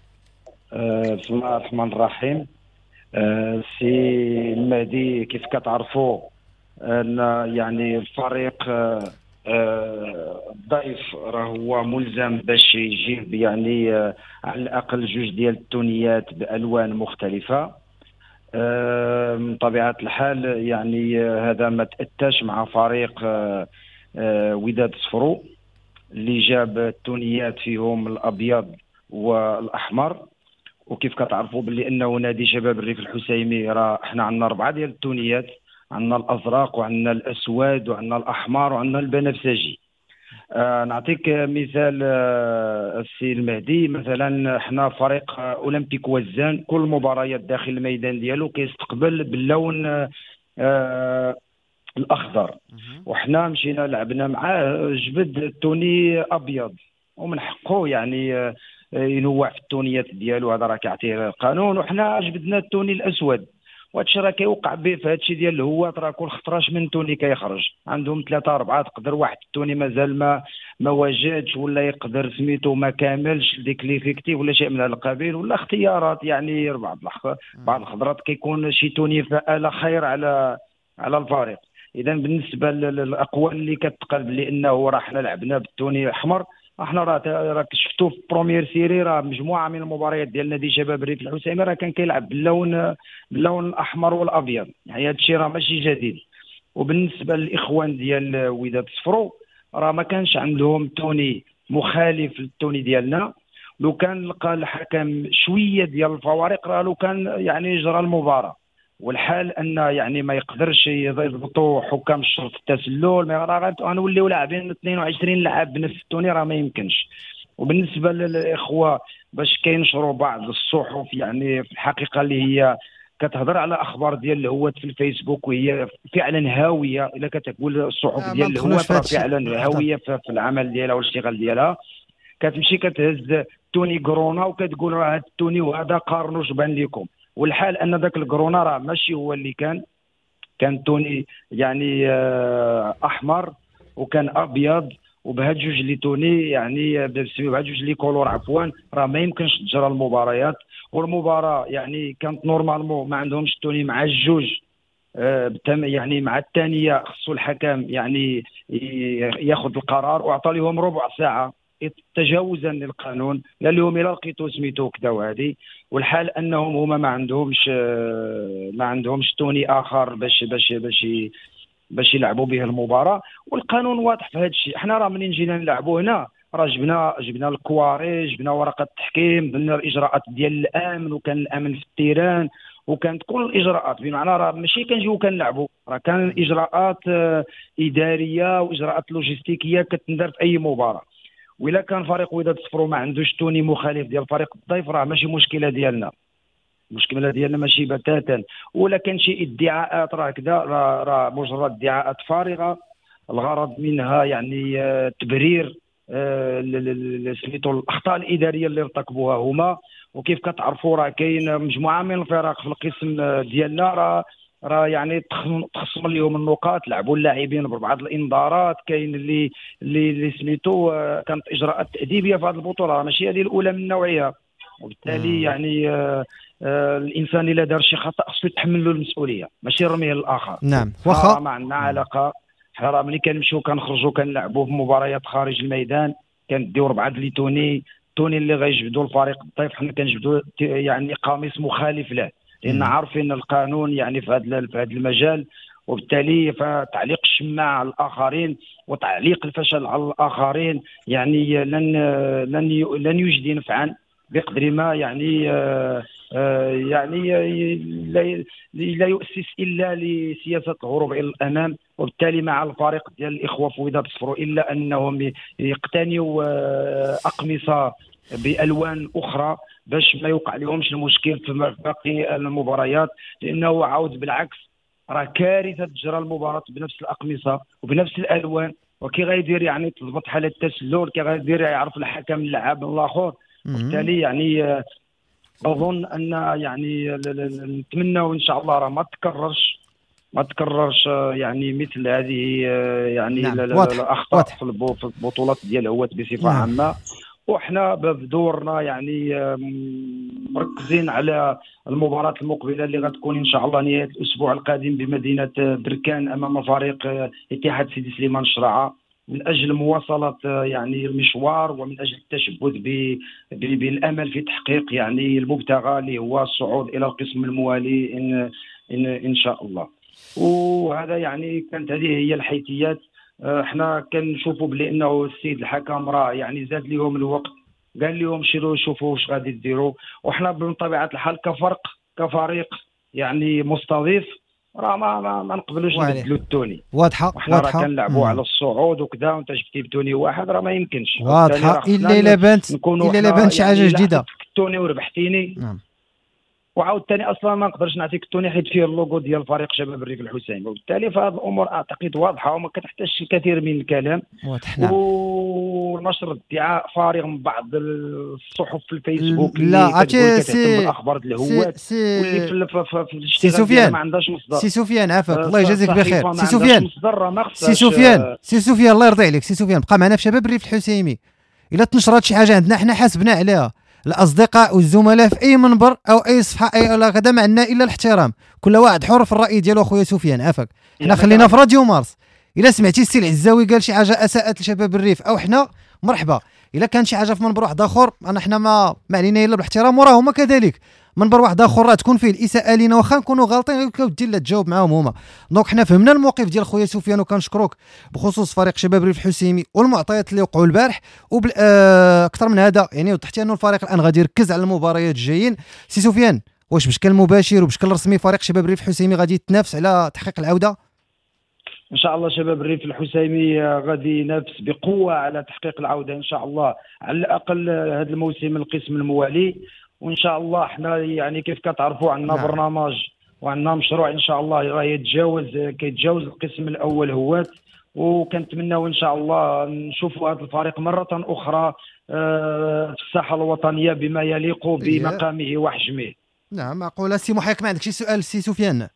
أه بسم الله الرحمن الرحيم. أه سي المهدي كيف كتعرفوا ان يعني الفريق أه الضيف راه هو ملزم باش يجيب يعني على الاقل جوج ديال التونيات بالوان مختلفة. من طبيعة الحال يعني هذا ما تاتاش مع فريق وداد صفرو اللي جاب التونيات فيهم الابيض والاحمر. وكيف كتعرفوا باللي انه نادي شباب الريف الحسيمي راه احنا عندنا اربعة ديال التونيات، عندنا الازرق وعندنا الاسود وعندنا الاحمر وعندنا البنفسجي. آه نعطيك مثال آه السي المهدي، مثلا احنا فريق آه اولمبيك وزان كل مباريات داخل الميدان ديالو كيستقبل باللون آه الاخضر، وحنا مشينا لعبنا معاه جبد ال tenue ابيض، ومن حقه يعني آه ينوع في التونيات ديالو، هذا راه كيعطيه القانون. وحنا جبدنا ال tenue الاسود، وهادشي راه كيوقع به في هادشي ديال الهوات، راه كل خطراش من tenue كيخرج عندهم ثلاثة أربعة، تقدر واحد ال tenue مازال ما ما واجدش ولا يقدر سميتو ما كاملش ديك l'effectif ولا شيء من هذا القبيل، ولا اختيارات يعني بعض بعض الخضرات كيكون شي tenue فآلة خير على على الفريق. اذا بالنسبة للاقوال اللي كتقال بلي انه راه حنا لعبنا بال tenue الاحمر، احنا راه راك شفتوا في première série راه مجموعة من المباريات ديال نادي شباب الريف الحسيمي راه كان كيلعب باللون باللون الاحمر والابيض، يعني هذا الشيء راه ماشي جديد. وبالنسبة للاخوان ديال وداد صفرو راه ما كانش عندهم tenue مخالف لل tenue ديالنا، لو كان لقى الحكم شوية ديال الفوارق راه لو كان يعني جرى المباراة. والحال ان يعني ما يقدرش يضبطوا حكام الشرط التسلل، ما راه غنوليو لاعبين اثنين وعشرين لاعب بنفس ال tenue راه ما يمكنش. وبالنسبة للاخوة باش كينشروا بعض الصحف يعني في الحقيقة اللي هي كتهضر على اخبار ديال الهوات في الفيسبوك وهي فعلا هاوية، الا كتقول الصحف ديال الهوات راه فعلا هاوية في العمل ديالها والاشتغال ديالها، كتمشي كتهز tenue كورونا وكتقول راه هاد ال tenue وهذا قارنوا بان لكم. والحال ان ذاك الكورونا راه ماشي هو اللي كان، كان tenue يعني احمر وكان ابيض، وبهاد جوج les tenues يعني بهاد جوج les couleurs عفوا راه ما يمكنش تجرى المباريات. والمباراة يعني كانت normalement ما عندهمش tenue مع الجوج يعني مع الثانية خصو الحكم يعني ياخذ القرار، واعطى لهم ربع ساعة تجاوزا للقانون، قال لهم الا لقيتو سميتو كذا وهذه. والحال انهم هما ما عندهمش ما عندهمش tenue اخر باش باش باش باش يلعبوا به المباراة، والقانون واضح في هذا الشيء. حنا راه منين جينا نلعبوا هنا راه جبنا جبنا الكواري، جبنا ورقة التحكيم، درنا الاجراءات ديال الامن، وكان الامن في ال terrain، وكانت كل الاجراءات، بمعنى راه ماشي كنجيو كنلعبوا، راه كان اجراءات ادارية واجراءات لوجستيكيه كتندار في اي مباراة. وإلا كان فريق وداد صفرو ما عندوش tenue مخالف ديال فريق الضيف راه ماشي مشكلة ديالنا، المشكلة ديالنا ماشي بتاتا. ولا كان شي ادعاءات راه كذا، راه راه مجرد ادعاءات فارغة الغرض منها يعني تبرير سميتو الاخطاء الادارية اللي ارتكبوها هما. وكيف كتعرفوا راه كاين مجموعة من الفرق في القسم ديالنا راه راه يعني تخصم لهم النقاط، لعبوا اللاعبين ببعض الانذارات، كاين اللي اللي سميتو كانت اجراءات تاديبيه في هذه البطولة، ماشي هذه الاولى من نوعها. وبالتالي يعني آه آه الانسان الا دار شي خطا خصو يتحمل له المسؤولية، ماشي يرميه للاخر. نعم واخا ما عندنا علاقة، حنا راه ملي كنمشيو كنخرجوا كنلعبوا في مباريات خارج الميدان كنديو ربعه les tenues، tenue اللي غيجبدوا الفريق الضيف حنا كنجبدوا يعني قميص مخالف له، لان عارفين القانون يعني في هذا في هذا المجال. وبالتالي فتعليق الشماعة على الاخرين وتعليق الفشل على الاخرين يعني لن لن لن يجدي نفعا بقدر ما يعني يعني لا لا يؤسس الا لسياسه الهروب الى الامام. وبالتالي مع الفريق ديال الاخوة في وداد صفرو الا انهم يقتنيوا اقمصة بالوان اخرى باش ما يوقع لهمش المشكل في باقي المباريات، لانه عاود بالعكس راه كارثة تجرى المباراة بنفس الاقمصة وبنفس الالوان، وكي غيدير يعني تضبط حاله التسلل، كي غيدير يعرف الحكم اللعاب من الاخر. وبالتالي يعني اظن ان يعني نتمنى ان شاء الله راه ما تكررش ما تكررش يعني مثل هذه يعني نعم. الاخطاء في البطولات ديال الهواة بصفة نعم. عامة. وحنا بدورنا يعني مركزين على المباراة المقبلة اللي غتكون إن شاء الله نهاية الأسبوع القادم بمدينة بركان أمام فريق اتحاد سيدي سليمان الشراعة، من أجل مواصلة يعني المشوار ومن أجل التشبث بالأمل في تحقيق يعني المبتغى اللي هو الصعود إلى القسم الموالي إن, إن, إن شاء الله. وهذا يعني كانت هذه هي الحيثيات. احنا كنشوفوا بلي انه السيد الحكم راه يعني زاد لهم الوقت، قال لهم شيروا شوفوا واش غادي ديروا، وحنا بطبيعة الحال كفرق كفريق يعني مستضيف راه ما ما, ما نقبلوش نبدلوا ال tenue. واضحة واضحة راه كنلعبوا على الصعود وكذا، وانت جبتي ب tenue واحد راه ما يمكنش. واضحة الا الا بانت الا الا بانت شي حاجة جديدة ال tenue وربحتيني. نعم. وعاود ثاني اصلا ما نقدرش نعطيك ال tenue حيت فيه اللوغو ديال فريق شباب الريف الحسيني، وبالتالي فهذه الامور اعتقد واضحة وما كتحتاجش الكثير من الكلام. واضح. نعم. ونشر ادعاء فارغ من بعض الصحف في الفيسبوك لا عرفتي سي الاخبار الهواة واللي في في, في سي سفيان ما عندهاش مصدر. سي سفيان عافاك الله يجازيك بخير. سي سفيان سي سفيان سي سفيان الله يرضي عليك. سي سفيان بقى معنا في شباب الريف الحسيمي، الا تنشرات شي حاجة عندنا حنا حاسبنا عليها الاصدقاء والزملاء في اي منبر او اي صفحة اي ولا غدا، ما عندنا الا الاحترام، كل واحد حر في الراي ديالو. اخويا سفيان عافاك، حنا خلينا في راديو مارس. الا سمعتي السي العزاوي قال شي حاجة اساءت لشباب الريف او حنا مرحبا، الا كان شي حاجة في منبر واحد اخر انا حنا ما ما علينا الا بالاحترام، وراه هما كذلك منبر واحد اخر راه تكون فيه الاساءة لينا واخا نكونوا غالطين ودي لا تجاوب معاهم هما. donc حنا فهمنا الموقف ديال خويا سفيان وكنشكروك بخصوص فريق شباب الريف الحسيمي والمعطيات اللي وقعوا البارح، وبال اكثر من هذا يعني وضحتي انه الفريق الان غادي يركز على المباريات الجايين. سي سفيان واش بشكل مباشر وبشكل رسمي فريق شباب الريف الحسيمي غادي يتنافس على تحقيق العودة؟ ان شاء الله شباب الريف الحسيمي غادي ينافس بقوة على تحقيق العودة ان شاء الله، على الاقل هذا الموسم القسم الموالي. وان شاء الله حنا يعني كيف كتعرفوا عندنا نعم. برنامج وعندنا مشروع ان شاء الله راه يتجاوز كيتجاوز القسم الاول هوات، وكنتمناو ان شاء الله نشوفوا هذا الفريق مرة اخرى في الساحة الوطنية بما يليق بمقامه وحجمه. نعم معقولة. سي محيك ما عندك شي سؤال سي سفيان؟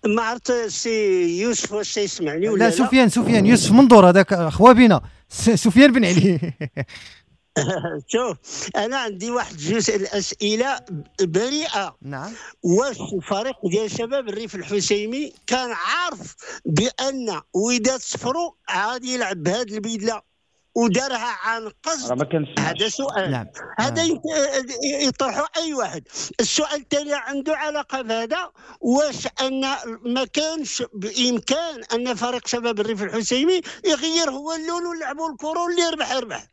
ما عرفت سي يوسف واش يسمعني ولا لا؟ سفيان سفيان يوسف منظور هذاك خوا بينا سفيان بن علي. شوف انا عندي واحد جوج الاسئلة بريئة. نعم. واش الفريق ديال شباب الريف الحسيمي كان عارف بان وداد صفرو غادي يلعب بهذه البدلة ودارها عن قصد؟ هذا سؤال. نعم. هذا يطرحه اي واحد. السؤال الثاني عنده علاقة بهذا، واش ان ما كانش بامكان ان فريق شباب الريف الحسيمي يغير هو اللون ويلعبوا الكره واللي يربح يربح؟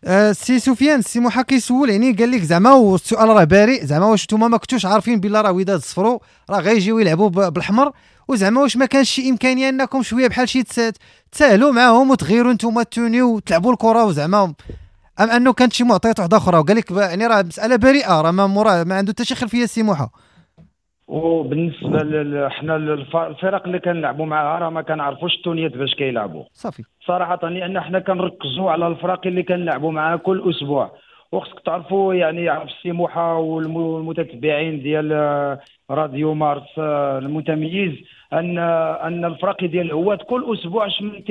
آه سي سفيان، سي موحى كيسول يعني قال لك زعما، والسؤال راه بريء، زعما واش نتوما ما كنتوش عارفين بلا راه وداد صفرو راه غيجيو يلعبوا بالحمر، وزعما واش ما كانش شي امكانية انكم شوية بحال شي تساهلوا معاهم وتغيروا نتوما ال tenue وتلعبوا الكره، وزعما ام انه كانت شي معطيات واحدة اخرى؟ وقال لك يعني راه مسالة بريئة، راه ما موراه ما عنده حتى شي خلفية سي موحى. وبالنسبة حنا الفرق اللي كنلعبوا معاها راه ما كنعرفوش التونيات باش كيلعبوا صافي صراحة، لان حنا كنركزوا على الفرق اللي كنلعبوا معاها كل اسبوع. وخصك تعرفوا يعني يعرف السي موحى والمتتبعين ديال راديو مارس المتميز ان ان الفرق ديال الهوات كل اسبوع شمن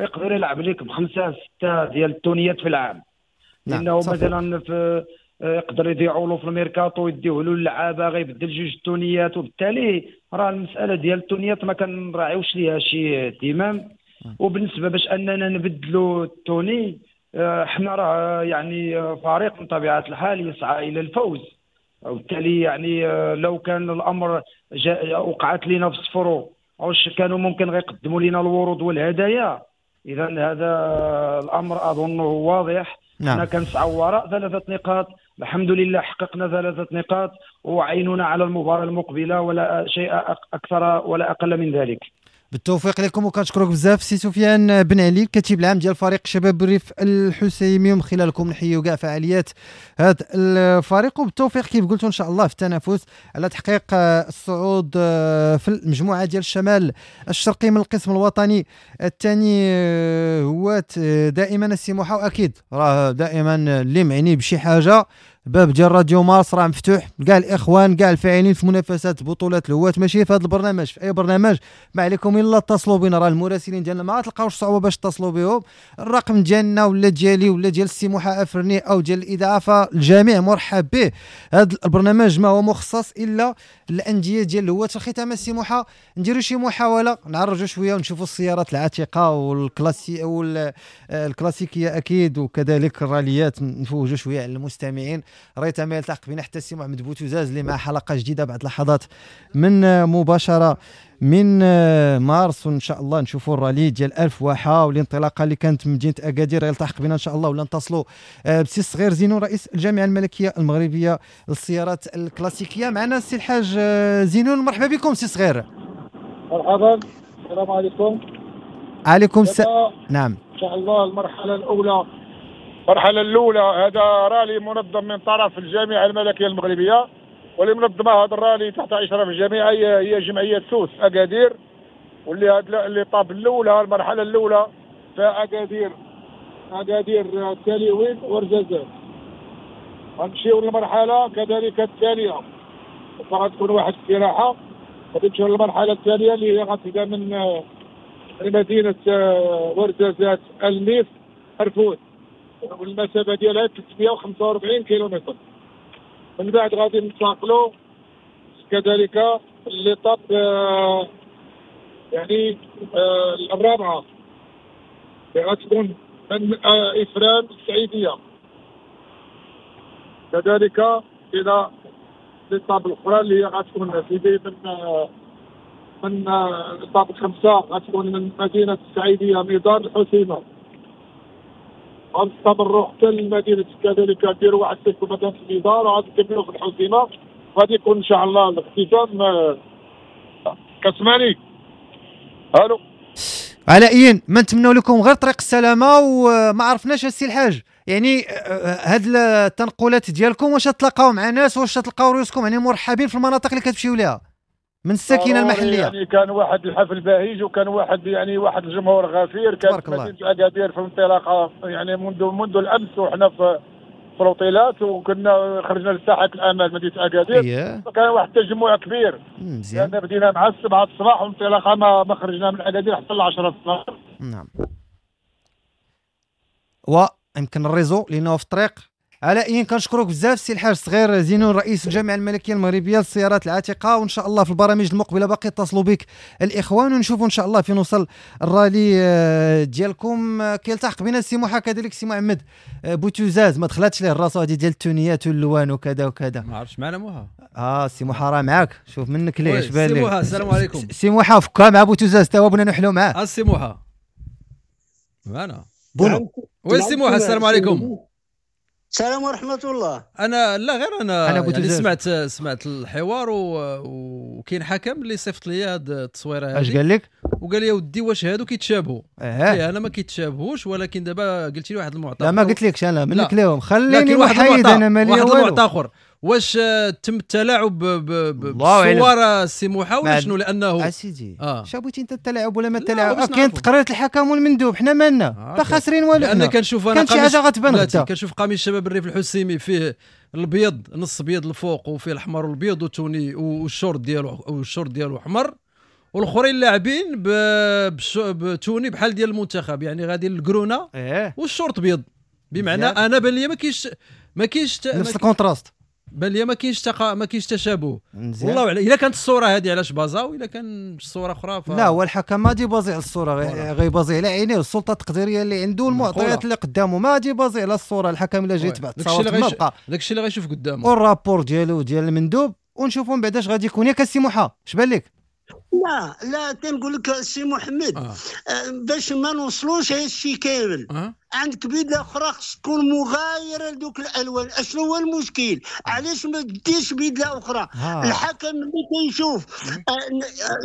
يقدر يلعب لك بخمسة ستة ديال التونيات في العام. لانه مثلا في يقدر يضيعوا له في الميركاتو، يديوه له اللعابه، غيبدل جوج التونيات، وبالتالي راه المسالة ديال التونيات ما كنراعيوش ليها شي اهتمام. وبالنسبة باش اننا نبدلوا ال tenue، حنا راه يعني فريق من طبيعة الحال يسعى الى الفوز، وبالتالي يعني لو كان الامر جاء وقعت لنا في صفرو واش كانوا ممكن غيقدموا لنا الورود والهدايا. اذا هذا الامر اظنه واضح. نعم. حنا كنسعوا وراء ثلاثة نقاط، الحمد لله حققنا ثلاثة نقاط وعيننا على المباراة المقبلة، ولا شيء اكثر ولا اقل من ذلك. بالتوفيق لكم، وكنشكرك بزاف سي سفيان بن علي الكاتب العام ديال فريق شباب الريف الحسيمي، ومن خلالكم نحيوا كاع فعاليات هذا الفريق، وبالتوفيق كيف قلتوا ان شاء الله في التنافس على تحقيق الصعود في المجموعة ديال الشمال الشرقي من القسم الوطني الثاني. هو دائما السي موحى، واكيد راه دائما اللي معني بشي حاجة باب ديال راديو مارس راه مفتوح كاع الاخوان كاع الفاعلين في منافسات بطولات الهواة، ماشي في هذا البرنامج، في اي برنامج ما عليكم الا اتصلوا بنا، راه المراسلين ديالنا ما تلقاوش صعوبة باش اتصلوا بهم، الرقم ديالنا ولا ديالي ولا ديال السي موحى افرني او ديال الاذاعة، فالجميع مرحب به. هذا البرنامج ما هو مخصص الا للاندية ديال الهواة. في الختام السي موحى نديروا شي محاولة نعرجوا شوية ونشوفوا السيارات العتيقة والكلاسي والكلاسيكيه اكيد، وكذلك الراليات، نفوجوا شوية على المستمعين. ريت ما يلتحق بنا حتى السي محمد بوتوزاز اللي مع حلقة جديدة بعد لحظات من مباشرة من مارس، وان شاء الله نشوفوا الرالي ديال ألف واحة والانطلاقه اللي كانت من مدينة اكادير. يلتحق بنا ان شاء الله ولا نتصلوا بسي الصغير زينون رئيس الجامعة الملكية المغربية للسيارات الكلاسيكية. معنا السي الحاج زينون، مرحبا بكم سي صغير. مرحبا، السلام عليكم. عليكم السلام. نعم، ان شاء الله المرحلة الاولى المرحلة الأولى هذا رالي منظم من طرف الجامعة الملكية المغربية، واللي منظمة هذا الرالي تحت إشراف الجامعة هي جمعية سوس أكادير، واللي هاد l'étape الأولى المرحلة الأولى في أكادير أكادير تاليوين ورزازات. غنمشيو للمرحلة كذلك الثانية، فغتكون واحد الاستراحة، غادي نمشيو للمرحلة الثانية اللي هي غتبدا من مدينة ورزازات الميف أرفود، والمسافة ديالها ثلاثمية وخمسة وأربعين كيلومتر. من بعد غادي ننتقلوا كذلك l'étape يعني الرابعة اللي غتكون من افران السعيديه كذلك الى l'étape الاخرى اللي هي غتكون سيدي من من l'étape خمسة غتكون من مدينة السعيديه ميدان الحسيمه. غنستمروا حتى لمدينة كذلك نديروا واحد السيف في مدينة الميدان وغادي نكملوا في الحسيمه، غادي يكون ان شاء الله الاختتام. كتسمعني؟ الو. على اين ما نتمنوا لكم غير طريق السلامة. وما عرفناش السي الحاج يعني هاد التنقلات ديالكم واش تلاقاو مع ناس، واش تلقاو رؤوسكم يعني مرحبين في المناطق اللي كتمشيو لها من الساكنة المحلية؟ يعني كان واحد الحفل بهيج، وكان واحد يعني واحد الجمهور غفير. كانت مدينة اكادير في الانطلاقة يعني منذ منذ الامس، وحنا في في الأوتيلات، وكنا خرجنا لساحه الامل مدينة اكادير. إيه. فكان واحد التجمع كبير مزيان. يعني بدينا مع السبعة الصباح، والانطلاقه ما, ما خرجنا من اكادير حتى العشرة الصباح. نعم، ويمكن ال réseau لانه في الطريق. على اين كنشكرك بزاف سي الحاج الصغير زينون رئيس الجامعة الملكية المغربية للسيارات العتيقة، وان شاء الله في البرامج المقبلة باقي اتصلوا بك الاخوان ونشوفوا ان شاء الله فين وصل الرالي ديالكم. كيلتحق بنا السي موحى كذلك سي محمد بوتوزاز، ما دخلاتش ليه الراس هذه ديال التونيات واللوان وكذا وكذا. ما عرفتش معنا موحى. اه سي موحى راه معاك، شوف منك ليه اش بان لك. سي موحى السلام عليكم. سي موحى فكا مع بوتوزاز تا هو بغينا نحلو معاه. السي موحى معنا بونو. oui سي موحى، السلام عليكم. السلام ورحمة الله. انا لا غير انا, أنا يعني سمعت سمعت الحوار وكاين حكم اللي صيفط لي هاد التصويره هذه. اش قال لك؟ وقال لي ودي واش هادو كيتشابهوا؟ اه انا ما كيتشابهوش، ولكن دابا قلت لي واحد المعطى. لا ما قلت لكش انا منك لهم، خليني محايد انا مالي والو. واحد المعطى اخر، واش تم التلاعب بالصور السي موحى ولا شنو؟ لانه اسيدي آه. شابوتي انت التلاعب ولا ما التلاعب؟ كاين تقرير الحكم والمندوب، حنا مالنا لا خاسرين والو. لان كنشوف انا كانت شي حاجة غتبان غدا. كنشوف قميص شباب الريف الحسيمي فيه الابيض، نص ابيض الفوق وفيه الاحمر والابيض وتوني والشورت ديالو والشورت ديالو احمر، والاخرين لاعبين ب tenue بحال ديال المنتخب، يعني غادي للكرونه إيه؟ والشورت ابيض. بمعنى انا بان لي ما كاينش ما كاينش نفس ال contraste، بان لي ما كاينش تقا... ما كاينش تشابه. والله اعلم الا كانت الصورة هذه علاش بازاو، الا كان الصورة اخرى ف... لا هو الحكم ما دي بازي على الصورة، غيبازي على عينيه السلطة التقديريه اللي عنده المعطيات اللي قدامه، ما دي بازي على الصورة. الحكم الا جا يتبع التصاور ما بقى داكشي اللي غيشوف قدامه وال rapport ديالو ديال المندوب، ونشوفوا من بعد اش غادي يكون. ياك السي موحى اش بان لك؟ لا لا تنقول لك السي محمد آه. باش ما نوصلوش هذا الشيء كامل آه. عندك بدله اخرى خص تكون مغايرة لدوك الالوان. اشنو هو المشكل؟ علاش ما ديرش بدله اخرى؟ آه. الحكم اللي كيشوف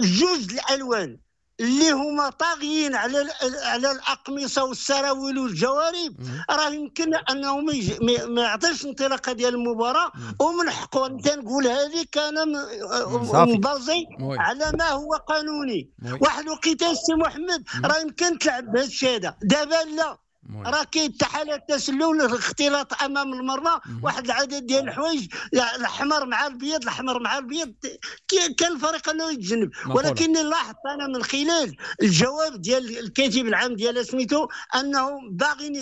جوج الالوان اللي هما طاغيين على على الاقمصة والسراويل والجوارب، راه يمكن انه ما يعطيش انطلاقة ديال المباراة، ومن حقه. انت نقول هذه انا مبازي على ما هو قانوني. واحد الوقيته السي محمد راه يمكن تلعب بهذا الشيء هذا، دابا لا، راه كاين حالات التسلل، الاختلاط امام المرمى، واحد العدد ديال الحوايج، الاحمر مع الابيض، الاحمر مع الابيض، كان الفريق انه يتجنب. ولكن لاحظت انا من خلال الجواب ديال الكاتب العام ديال سميتو انه باغيين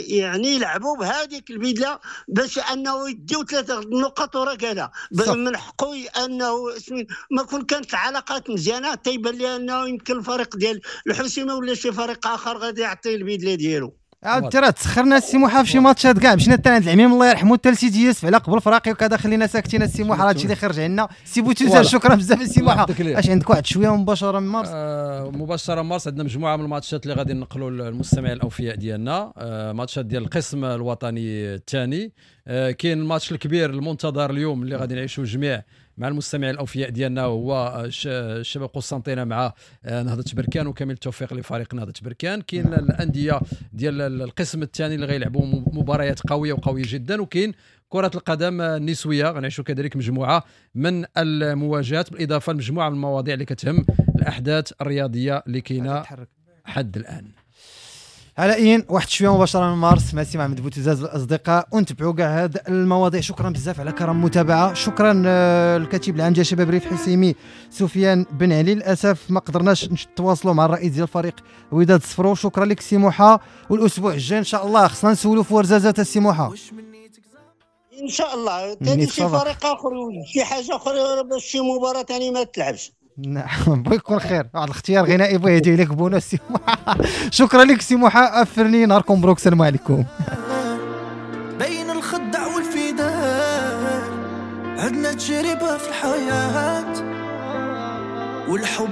يعني يلعبوا بهذيك البدلة باش انه يديو ثلاثة نقط وركله. من حقه انه سميتو ما كون كانت العلاقات مزيانه تيبان لي انه يمكن الفريق ديال الحسيمه ولا شي فريق اخر غادي يعطي البدلة ديالو. عاود راه تسخرنا السي موحى في شي ماتشات كاع، مشينا حتى عند العميم الله يرحمه حتى لسيدي يوسف على قبل فراقي وكذا، خلينا ساكتين السي موحى، راه هادشي اللي خرج عندنا. سي بوتوزا شكرا بزاف السي موحى. اش عندك واحد شوية مباشرة من مارس؟ آه مباشرة من مارس عندنا مجموعة من الماتشات اللي غادي ننقلوا للمستمعين الاوفياء ديالنا، آه ماتشات ديال القسم الوطني الثاني. آه كاين الماتش الكبير المنتظر اليوم اللي غادي نعيشوه جميع مع المستمعين الاوفياء ديالنا، هو الشباب قسنطينه مع نهضة بركان، وكامل التوفيق لفريق نهضة بركان. كاين الاندية ديال القسم الثاني اللي غيلعبوا مباريات قوية وقويه جدا، وكاين كره القدم النسوية غنعيشوا كذلك مجموعة من المواجهات، بالاضافة لمجموعة من المواضيع اللي كتهم الاحداث الرياضية اللي كاينه حد الان. على اين واحد شوية مباشرة من مارس مع سي محمد بوتزاز الاصدقاء، ونتبعوا كاع هاد المواضيع. شكرا بزاف على كرم المتابعة، شكرا الكاتب العام ديال شباب ريف حسيمي سفيان بن علي. للاسف ما قدرناش نتواصلوا مع الرئيس ديال الفريق وداد صفرو. شكرا لك سي موحى، والاسبوع الجاي ان شاء الله خصنا نسولوا في ورزازات السي موحى ان شاء الله. ثاني شي فريق اخر شي حاجة اخرى باش شي مباراة ثاني ما تلعبش. نعم بغي يكون خير، واحد الاختيار غنائي بغي يهدي لك بونو سي موحى. شكرا لك سي موحى، افرني نهاركم مبروك، السلام عليكم. بين الخدع والفداء عندنا تجربة في الحياة والحب.